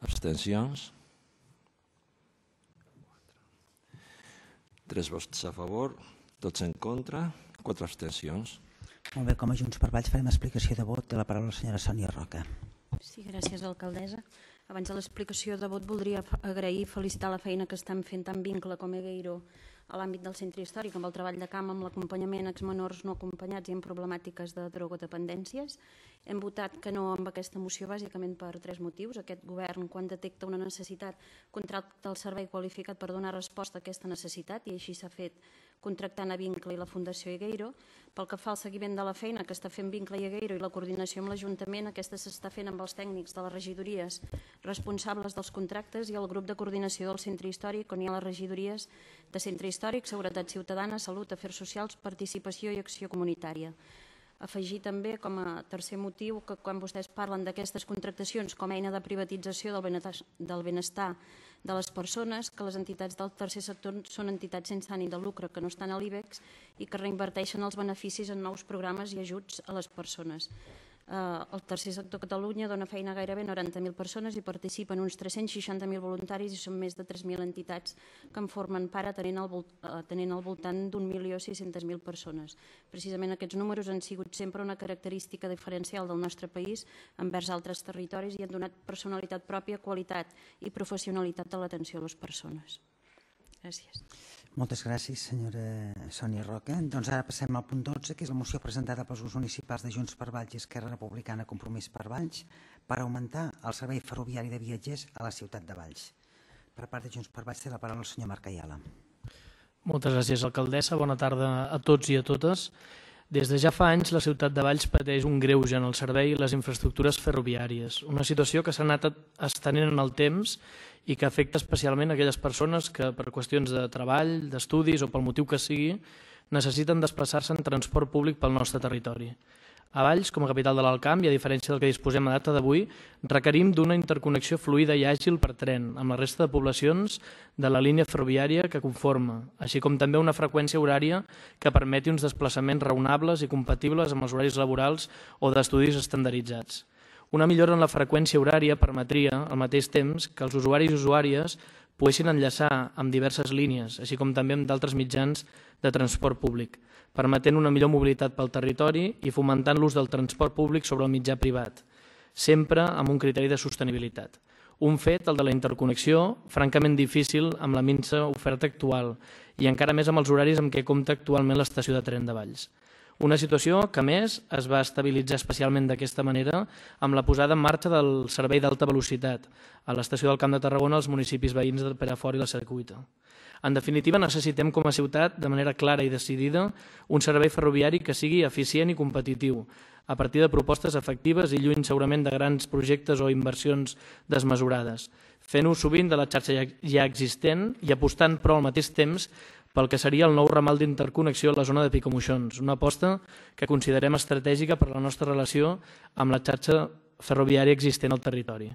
Abstencions. 3 vots a favor, tots en contra, 4 abstencions. Molt bé, com a Junts per Valls farem explicació de vot. Té la paraula la senyora Sònia Roca. Sí, gràcies, alcaldessa. Abans de l'explicació de vot voldria agrair i felicitar la feina que estan fent tant Vincle com Agueiro a l'àmbit del centre històric, amb el treball de camp, amb l'acompanyament a exmenors no acompanyats i amb problemàtiques de drogodependències. Hem votat que no amb aquesta moció bàsicament per 3 motius. Aquest govern, quan detecta una necessitat, contracta el servei qualificat per donar resposta a aquesta necessitat i així s'ha fet contractant a Vincle i la Fundació Agueiro. Pel que fa al seguiment de la feina que està fent Vincle i Agueiro i la coordinació amb l'Ajuntament, aquesta s'està fent amb els tècnics de les regidories responsables dels contractes i el grup de coordinació del centre històric, on hi ha les regidories de centre històric, seguretat ciutadana, salut, afers socials, participació i acció comunitària. Afegir també com a tercer motiu que quan vostès parlen d'aquestes contractacions com a eina de privatització del benestar de les persones, que les entitats del tercer sector són entitats sense ànim de lucre que no estan a l'IBEX i que reinverteixen els beneficis en nous programes i ajuts a les persones. El tercer sector a Catalunya dona feina a gairebé 90.000 persones i participen uns 360.000 voluntaris i són més de 3.000 entitats que en formen part tenint al voltant d'1.600.000 persones. Precisament aquests números han sigut sempre una característica diferencial del nostre país envers altres territoris i han donat personalitat pròpia, qualitat i professionalitat a l'atenció a les persones. Gràcies. Moltes gràcies, senyora Sònia Roca. Doncs ara passem al punt 12, que és la moció presentada pels grups municipals de Junts per Valls i Esquerra Republicana Compromís per Valls per augmentar el servei ferroviari de viatgers a la ciutat de Valls. Per part de Junts per Valls té la paraula el senyor Marc Ayala. Moltes gràcies, alcaldessa. Bona tarda a tots i a totes. Des de ja fa anys, la ciutat de Valls pateix un greuge en el servei i les infraestructures ferroviàries, una situació que s'ha anat estenent en el temps i que afecta especialment aquelles persones que per qüestions de treball, d'estudis o pel motiu que sigui, necessiten desplaçar-se en transport públic pel nostre territori. A Valls, com a capital de l'Alt Camp, i a diferència del que disposem a data d'avui, requerim d'una interconnexió fluida i àgil per tren amb la resta de poblacions de la línia ferroviària que conforma, així com també una freqüència horària que permeti uns desplaçaments raonables i compatibles amb els horaris laborals o d'estudis estandarditzats. Una millora en la freqüència horària permetria, al mateix temps, que els usuaris i usuàries poguessin enllaçar amb diverses línies, així com també amb d'altres mitjans de transport públic, permetent una millor mobilitat pel territori i fomentant l'ús del transport públic sobre el mitjà privat, sempre amb un criteri de sostenibilitat. Un fet, el de la interconnexió, francament difícil amb la minsa oferta actual i encara més amb els horaris amb què compta actualment l'estació de tren de Valls. Una situació que, a més, es va estabilitzar especialment d'aquesta manera amb la posada en marxa del servei d'alta velocitat a l'estació del Camp de Tarragona als municipis veïns de Perafort i la Secuita. En definitiva, necessitem com a ciutat, de manera clara i decidida, un servei ferroviari que sigui eficient i competitiu, a partir de propostes efectives i lluny segurament de grans projectes o inversions desmesurades, fent ús sovint de la xarxa ja existent i apostant però al mateix temps pel que seria el nou ramal d'interconnexió a la zona de Picamoixons, una aposta que considerem estratègica per a la nostra relació amb la xarxa ferroviària existent al territori.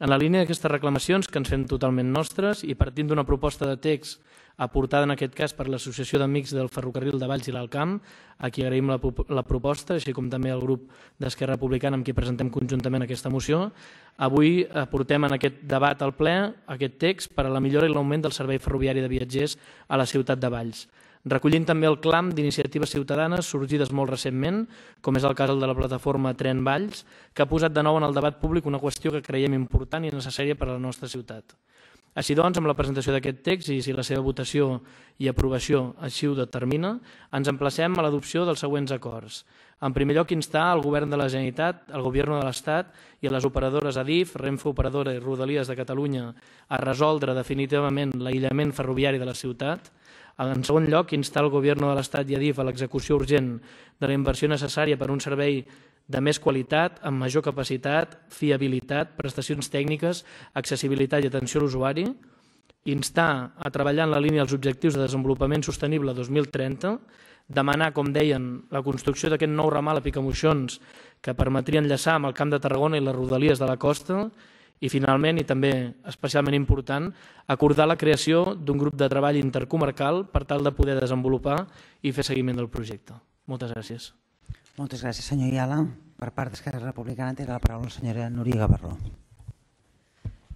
En la línia d'aquestes reclamacions que ens fem totalment nostres i partint d'una proposta de text aportada en aquest cas per l'Associació d'Amics del Ferrocarril de Valls i l'Alt Camp, a qui agraïm la proposta, així com també al grup d'Esquerra Republicana amb qui presentem conjuntament aquesta moció, avui aportem en aquest debat al ple aquest text per a la millora i l'augment del servei ferroviari de viatgers a la ciutat de Valls, recollint també el clam d'iniciatives ciutadanes sorgides molt recentment, com és el cas de la plataforma Tren Valls, que ha posat de nou en el debat públic una qüestió que creiem important i necessària per a la nostra ciutat. Així doncs, amb la presentació d'aquest text i si la seva votació i aprovació així ho determina, ens emplacem a l'adopció dels següents acords. En primer lloc, instar el Govern de la Generalitat, el Govern de l'Estat i a les operadores Adif, Renfe Operadora i Rodalies de Catalunya a resoldre definitivament l'aïllament ferroviari de la ciutat. En segon lloc, instar el Govern de l'Estat i Adif a l'execució urgent de la inversió necessària per a un servei de més qualitat, amb major capacitat, fiabilitat, prestacions tècniques, accessibilitat i atenció a l'usuari. Instar a treballar en la línia dels objectius de desenvolupament sostenible 2030, demanar, com deien, la construcció d'aquest nou ramal a Picamoixons que permetria enllaçar amb el Camp de Tarragona i les Rodalies de la costa i, finalment, i també especialment important, acordar la creació d'un grup de treball intercomarcal per tal de poder desenvolupar i fer seguiment del projecte. Moltes gràcies. Moltes gràcies, senyor Ayala. Per part d'Esquerra Republicana té la paraula la senyora Núria Gavarró.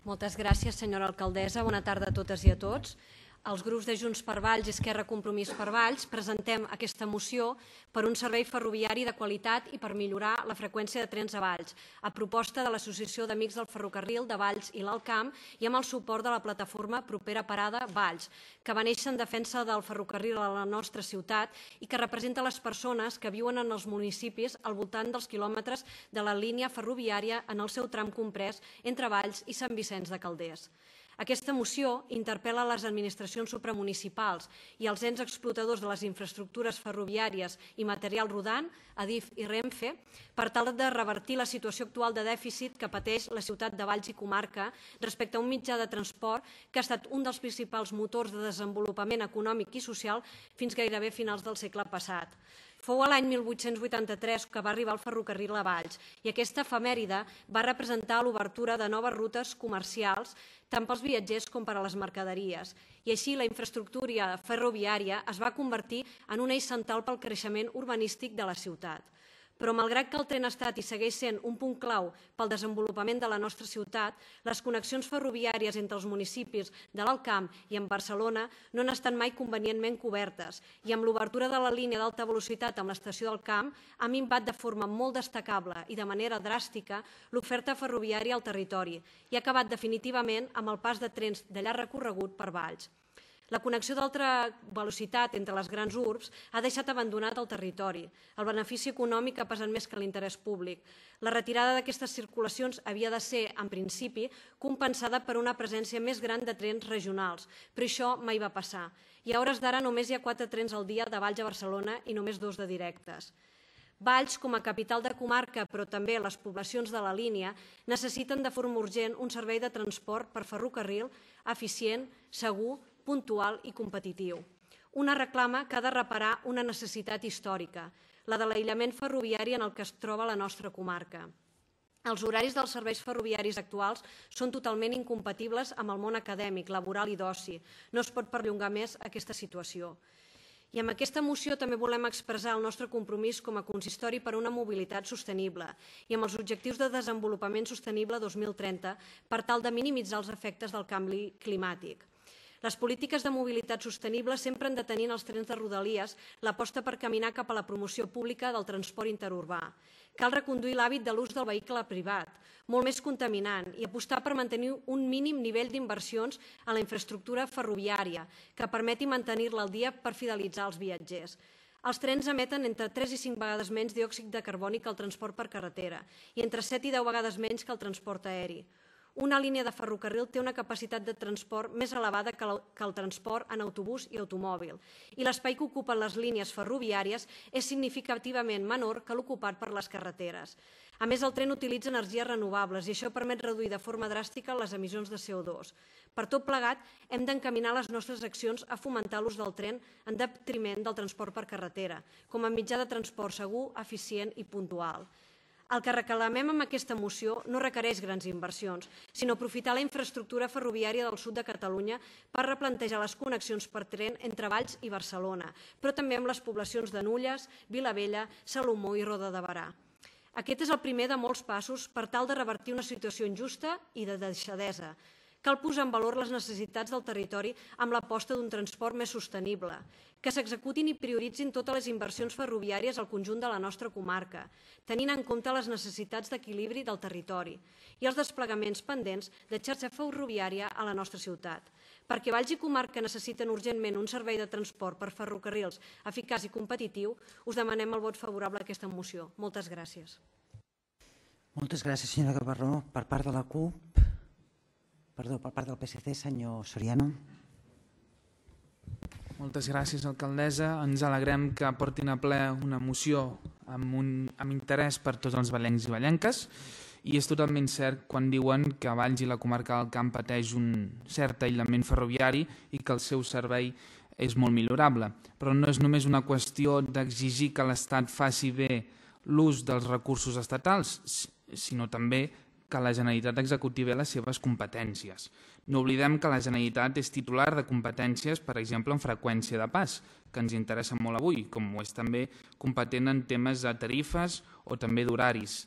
Moltes gràcies, senyora alcaldessa. Bona tarda a totes i a tots. Els grups de Junts per Valls i Esquerra Compromís per Valls presentem aquesta moció per un servei ferroviari de qualitat i per millorar la freqüència de trens a Valls, a proposta de l'Associació d'Amics del Ferrocarril de Valls i l'Alt Camp i amb el suport de la plataforma Propera Parada Valls, que va néixer en defensa del ferrocarril a la nostra ciutat i que representa les persones que viuen en els municipis al voltant dels quilòmetres de la línia ferroviària en el seu tram comprès entre Valls i Sant Vicenç de Calders. Aquesta moció interpel·la les administracions supramunicipals i els ens explotadors de les infraestructures ferroviàries i material rodant, Adif i Renfe, per tal de revertir la situació actual de dèficit que pateix la ciutat de Valls i comarca respecte a un mitjà de transport que ha estat un dels principals motors de desenvolupament econòmic i social fins gairebé finals del segle passat. Fou a l'any 1883 que va arribar el ferrocarril a Valls i aquesta efemèride va representar l'obertura de noves rutes comercials tant pels viatgers com per a les mercaderies. I així la infraestructura ferroviària es va convertir en un eix central pel creixement urbanístic de la ciutat. Però malgrat que el tren ha estat i segueix sent un punt clau pel desenvolupament de la nostra ciutat, les connexions ferroviàries entre els municipis de l'Alt Camp i en Barcelona no han estat mai convenientment cobertes i amb l'obertura de la línia d'alta velocitat amb l'estació del Camp ha minvat de forma molt destacable i de manera dràstica l'oferta ferroviària al territori i ha acabat definitivament amb el pas de trens de llarg recorregut per Valls. La connexió d'alta velocitat entre les grans urbs ha deixat abandonat el territori. El benefici econòmic ha pesat més que l'interès públic. La retirada d'aquestes circulacions havia de ser, en principi, compensada per una presència més gran de trens regionals, però això mai va passar. I a hores d'ara només hi ha 4 trens al dia de Valls a Barcelona i només 2 de directes. Valls, com a capital de comarca, però també les poblacions de la línia, necessiten de forma urgent un servei de transport per ferrocarril eficient, segur, puntual i competitiu. Una reclama que ha de reparar una necessitat històrica, la de l'aïllament ferroviari en el que es troba la nostra comarca. Els horaris dels serveis ferroviaris actuals són totalment incompatibles amb el món acadèmic, laboral i d'oci. No es pot perllongar més aquesta situació. I amb aquesta moció també volem expressar el nostre compromís com a consistori per una mobilitat sostenible i amb els objectius de desenvolupament sostenible 2030 per tal de minimitzar els efectes del canvi climàtic. Les polítiques de mobilitat sostenible sempre han de tenir en els trens de Rodalies l'aposta per caminar cap a la promoció pública del transport interurbà. Cal reconduir l'hàbit de l'ús del vehicle privat, molt més contaminant, i apostar per mantenir un mínim nivell d'inversions en la infraestructura ferroviària que permeti mantenir-la al dia per fidelitzar els viatgers. Els trens emeten entre 3 i 5 vegades menys diòxid de carboni que el transport per carretera i entre 7 i 10 vegades menys que el transport aeri. Una línia de ferrocarril té una capacitat de transport més elevada que el transport en autobús i automòbil, i l'espai que ocupen les línies ferroviàries és significativament menor que l'ocupat per les carreteres. A més, el tren utilitza energies renovables i això permet reduir de forma dràstica les emissions de CO2. Per tot plegat, hem d'encaminar les nostres accions a fomentar l'ús del tren en detriment del transport per carretera, com a mitjà de transport segur, eficient i puntual. El que reclamem amb aquesta moció no requereix grans inversions, sinó aprofitar la infraestructura ferroviària del sud de Catalunya per replantejar les connexions per tren entre Valls i Barcelona, però també amb les poblacions de Nulles, Vilavella, Salomó i Roda de Berà. Aquest és el primer de molts passos per tal de revertir una situació injusta i de deixadesa. Cal posar en valor les necessitats del territori amb l'aposta d'un transport més sostenible, que s'executin i prioritzin totes les inversions ferroviàries al conjunt de la nostra comarca, tenint en compte les necessitats d'equilibri del territori i els desplegaments pendents de xarxa ferroviària a la nostra ciutat. Perquè Valls i comarca necessiten urgentment un servei de transport per ferrocarrils eficaç i competitiu, us demanem el vot favorable a aquesta moció. Moltes gràcies. Moltes gràcies, senyora Gavarró. Per part de la CUP, per part del PSC, senyor Soriano. Moltes gràcies, alcaldessa. Ens alegrem que portin a ple una moció amb interès per tots els vallencs i vallenques, i és totalment cert quan diuen que Valls i la comarca del Camp pateix un cert aïllament ferroviari i que el seu servei és molt millorable. Però no és només una qüestió d'exigir que l'Estat faci bé l'ús dels recursos estatals, sinó també que la Generalitat executi bé les seves competències. No oblidem que la Generalitat és titular de competències, per exemple, en freqüència de pas, que ens interessa molt avui, com ho és també competent en temes de tarifes o també d'horaris,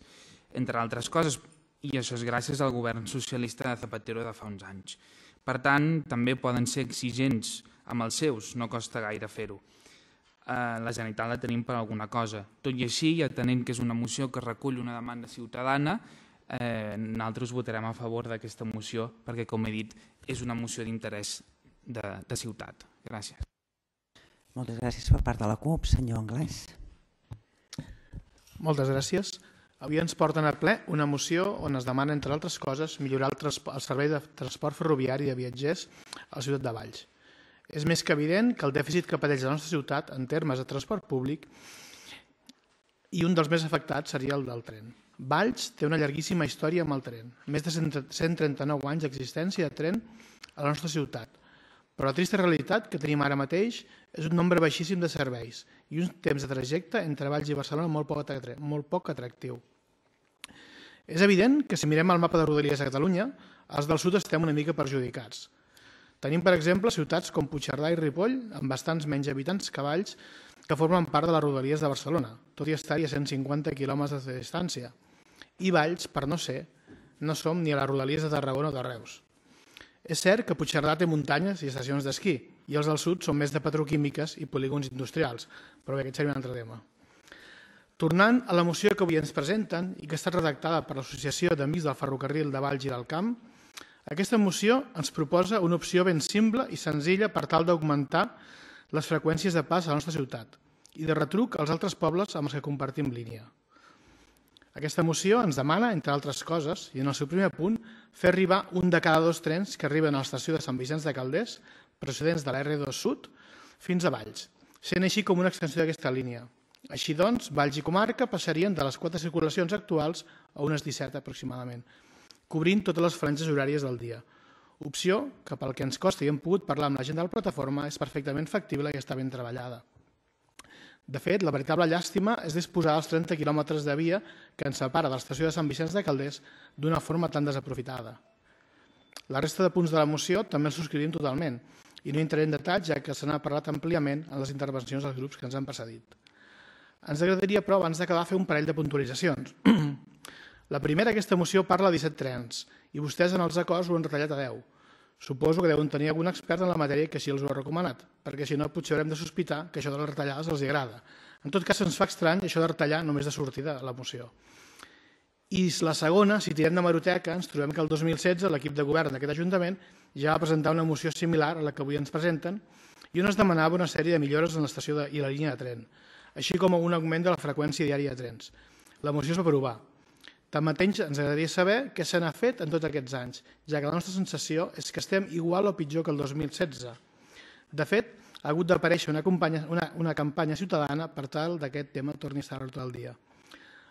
entre altres coses, i això és gràcies al govern socialista de Zapatero de fa uns anys. Per tant, també poden ser exigents amb els seus, no costa gaire fer-ho. La Generalitat la tenim per alguna cosa. Tot i així, i atenent que és una moció que recull una demanda ciutadana, nosaltres votarem a favor d'aquesta moció perquè, com he dit, és una moció d'interès de ciutat. Gràcies. Moltes gràcies per part de la CUP. Senyor Anglès. Moltes gràcies. Avui ens porten a ple una moció on es demana, entre altres coses, millorar el servei de transport ferroviari de viatgers a la ciutat de Valls. És més que evident que el dèficit que pateix la nostra ciutat en termes de transport públic i un dels més afectats seria el del tren. Valls té una llarguíssima història amb el tren, més de 139 anys d'existència de tren a la nostra ciutat, però la trista realitat que tenim ara mateix és un nombre baixíssim de serveis i un temps de trajecte entre Valls i Barcelona molt poc atractiu. És evident que si mirem el mapa de Rodalies a Catalunya, els del sud estem una mica perjudicats. Tenim, per exemple, ciutats com Puigcerdà i Ripoll, amb bastants menys habitants que Valls, que formen part de les Rodalies de Barcelona, tot i estar-hi a 150 quilòmetres de distància. I Valls, per no ser, no som ni a les Rodalies de Tarragona o de Reus. És cert que Puigcerdà té muntanyes i estacions d'esquí, i els del sud són més de petroquímiques i polígons industrials, però bé, aquest seria un altre tema. Tornant a la moció que avui ens presenten i que ha estat redactada per l'Associació d'Amics del Ferrocarril de Valls i del Camp, aquesta moció ens proposa una opció ben simple i senzilla per tal d'augmentar les freqüències de pas a la nostra ciutat i de retruc als altres pobles amb els que compartim línia. Aquesta moció ens demana, entre altres coses, i en el seu primer punt, fer arribar un de cada 2 trens que arriben a l'estació de Sant Vicenç de Calders, procedents de la R2 Sud, fins a Valls, sent així com una extensió d'aquesta línia. Així doncs, Valls i comarca passarien de les 4 circulacions actuals a unes 17 aproximadament, cobrint totes les franges horàries del dia. Opció que, pel que ens costa i hem pogut parlar amb la gent de la plataforma, és perfectament factible i està ben treballada. De fet, la veritable llàstima és disposar dels 30 quilòmetres de via que ens separa de l'estació de Sant Vicenç de Calders d'una forma tan desaprofitada. La resta de punts de la moció també els subscrivim totalment i no entraré en detall, ja que se n'ha parlat àmpliament en les intervencions dels grups que ens han precedit. Ens agradaria, però, abans d'acabar, fer un parell de puntualitzacions. La primera, aquesta moció parla de 17 trens i vostès en els acords ho han retallat a 10. Suposo que deuen tenir algun expert en la matèria que sí els ho ha recomanat, perquè si no potser haurem de sospitar que això de les retallades els agrada. En tot cas, ens fa estrany això de retallar només de sortida la moció. I la segona, si tirem de meroteca, ens trobem que el 2016 l'equip de govern d'aquest Ajuntament ja va presentar una moció similar a la que avui ens presenten i on es demanava una sèrie de millores en l'estació i la línia de tren, així com un augment de la freqüència diària de trens. La moció es va aprovar. Tanmateix, ens agradaria saber què se n'ha fet en tots aquests anys, ja que la nostra sensació és que estem igual o pitjor que el 2016. De fet, ha hagut d'aparèixer una campanya ciutadana per tal que aquest tema torni a estar a l'ordre del dia.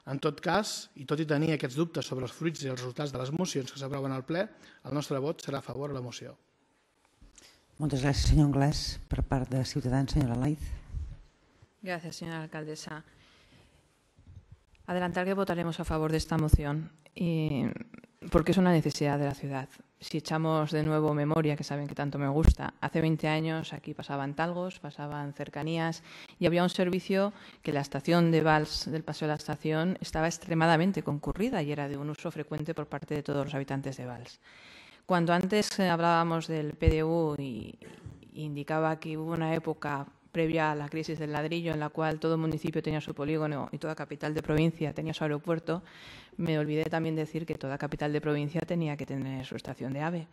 En tot cas, i tot i tenir aquests dubtes sobre els fruits i els resultats de les mocions que s'aproven al ple, el nostre vot serà a favor de la moció. Moltes gràcies, senyor Anglès. Per part de Ciutadans, senyora Laiz. Gracias, señora alcaldesa. Adelantar que votaremos a favor de esta moción porque es una necesidad de la ciudad. Si echamos de nuevo memoria, que saben que tanto me gusta, hace 20 años aquí pasaban talgos, pasaban cercanías y había un servicio que la estación de Valls del Paseo de la Estación estaba extremadamente concurrida y era de un uso frecuente por parte de todos los habitantes de Valls. Cuando antes hablábamos del PDU y indicaba que hubo una época previa a la crisis del ladrillo en la cual todo municipio tenía su polígono y toda capital de provincia tenía su aeropuerto, me olvidé también decir que toda capital de provincia tenía que tener su estación de AVE.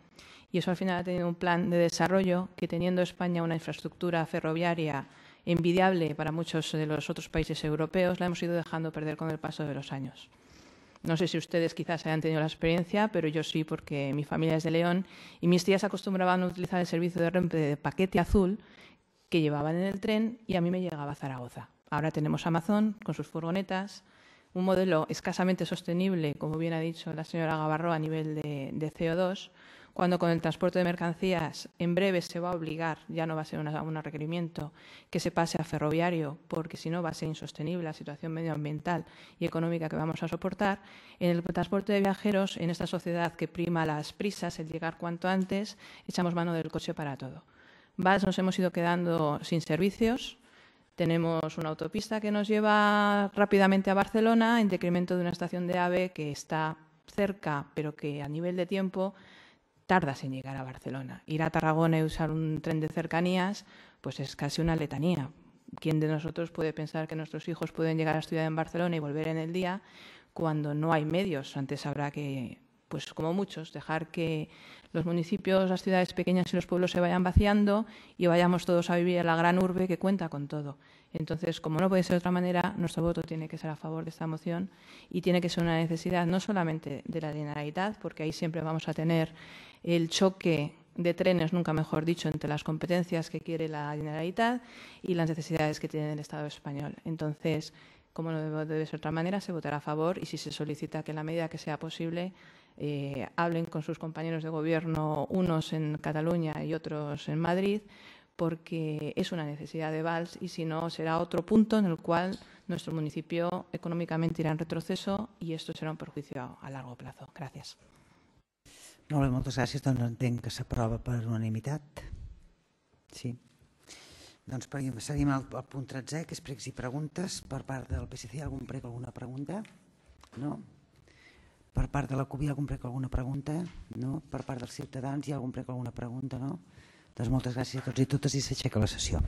Y eso al final ha tenido un plan de desarrollo que, teniendo España una infraestructura ferroviaria envidiable para muchos de los otros países europeos, la hemos ido dejando perder con el paso de los años. No sé si ustedes quizás hayan tenido la experiencia, pero yo sí, porque mi familia es de León y mis tías acostumbraban a utilizar el servicio de Renfe de paquete azul que llevaban en el tren y a mí me llegaba a Zaragoza. Ahora tenemos Amazon con sus furgonetas, un modelo escasamente sostenible, como bien ha dicho la señora Gavarro, a nivel de CO2, cuando con el transporte de mercancías en breve se va a obligar, ya no va a ser un requerimiento, que se pase a ferroviario, porque si no va a ser insostenible la situación medioambiental y económica que vamos a soportar. En el transporte de viajeros, en esta sociedad que prima las prisas, el llegar cuanto antes, echamos mano del coche para todo. Valls nos hemos ido quedando sin servicios. Tenemos una autopista que nos lleva rápidamente a Barcelona en detrimento de una estación de AVE que está cerca, pero que a nivel de tiempo tardas en llegar a Barcelona. Ir a Tarragona y usar un tren de cercanías pues es casi una letanía. ¿Quién de nosotros puede pensar que nuestros hijos pueden llegar a estudiar en Barcelona y volver en el día cuando no hay medios? Antes habrá que, pues como muchos, dejar que los municipios, las ciudades pequeñas y los pueblos se vayan vaciando y vayamos todos a vivir en la gran urbe que cuenta con todo. Entonces, como no puede ser de otra manera, nuestro voto tiene que ser a favor de esta moción y tiene que ser una necesidad no solamente de la Generalitat, porque ahí siempre vamos a tener el choque de trenes, nunca mejor dicho, entre las competencias que quiere la Generalitat y las necesidades que tiene el Estado español. Entonces, como no debe ser de otra manera, se votará a favor y si se solicita que en la medida que sea posible hablen con sus compañeros de gobierno, unos en Cataluña y otros en Madrid, porque es una necesidad de Valls y si no será otro punto en el cual nuestro municipio económicamente irá en retroceso y esto será un perjuicio a largo plazo. Gracias. Molt bé, moltes gràcies. Doncs entenc que s'aprova per unanimitat. Sí. Doncs seguim al punt 13, que és pregs i preguntes. Per part del PSC, algun prec, alguna pregunta? No? Per part de la CUP hi ha algun prec, alguna pregunta? No? Per part dels Ciutadans hi ha algun prec, alguna pregunta? No? Doncs moltes gràcies a tots i totes i s'aixeca la sessió.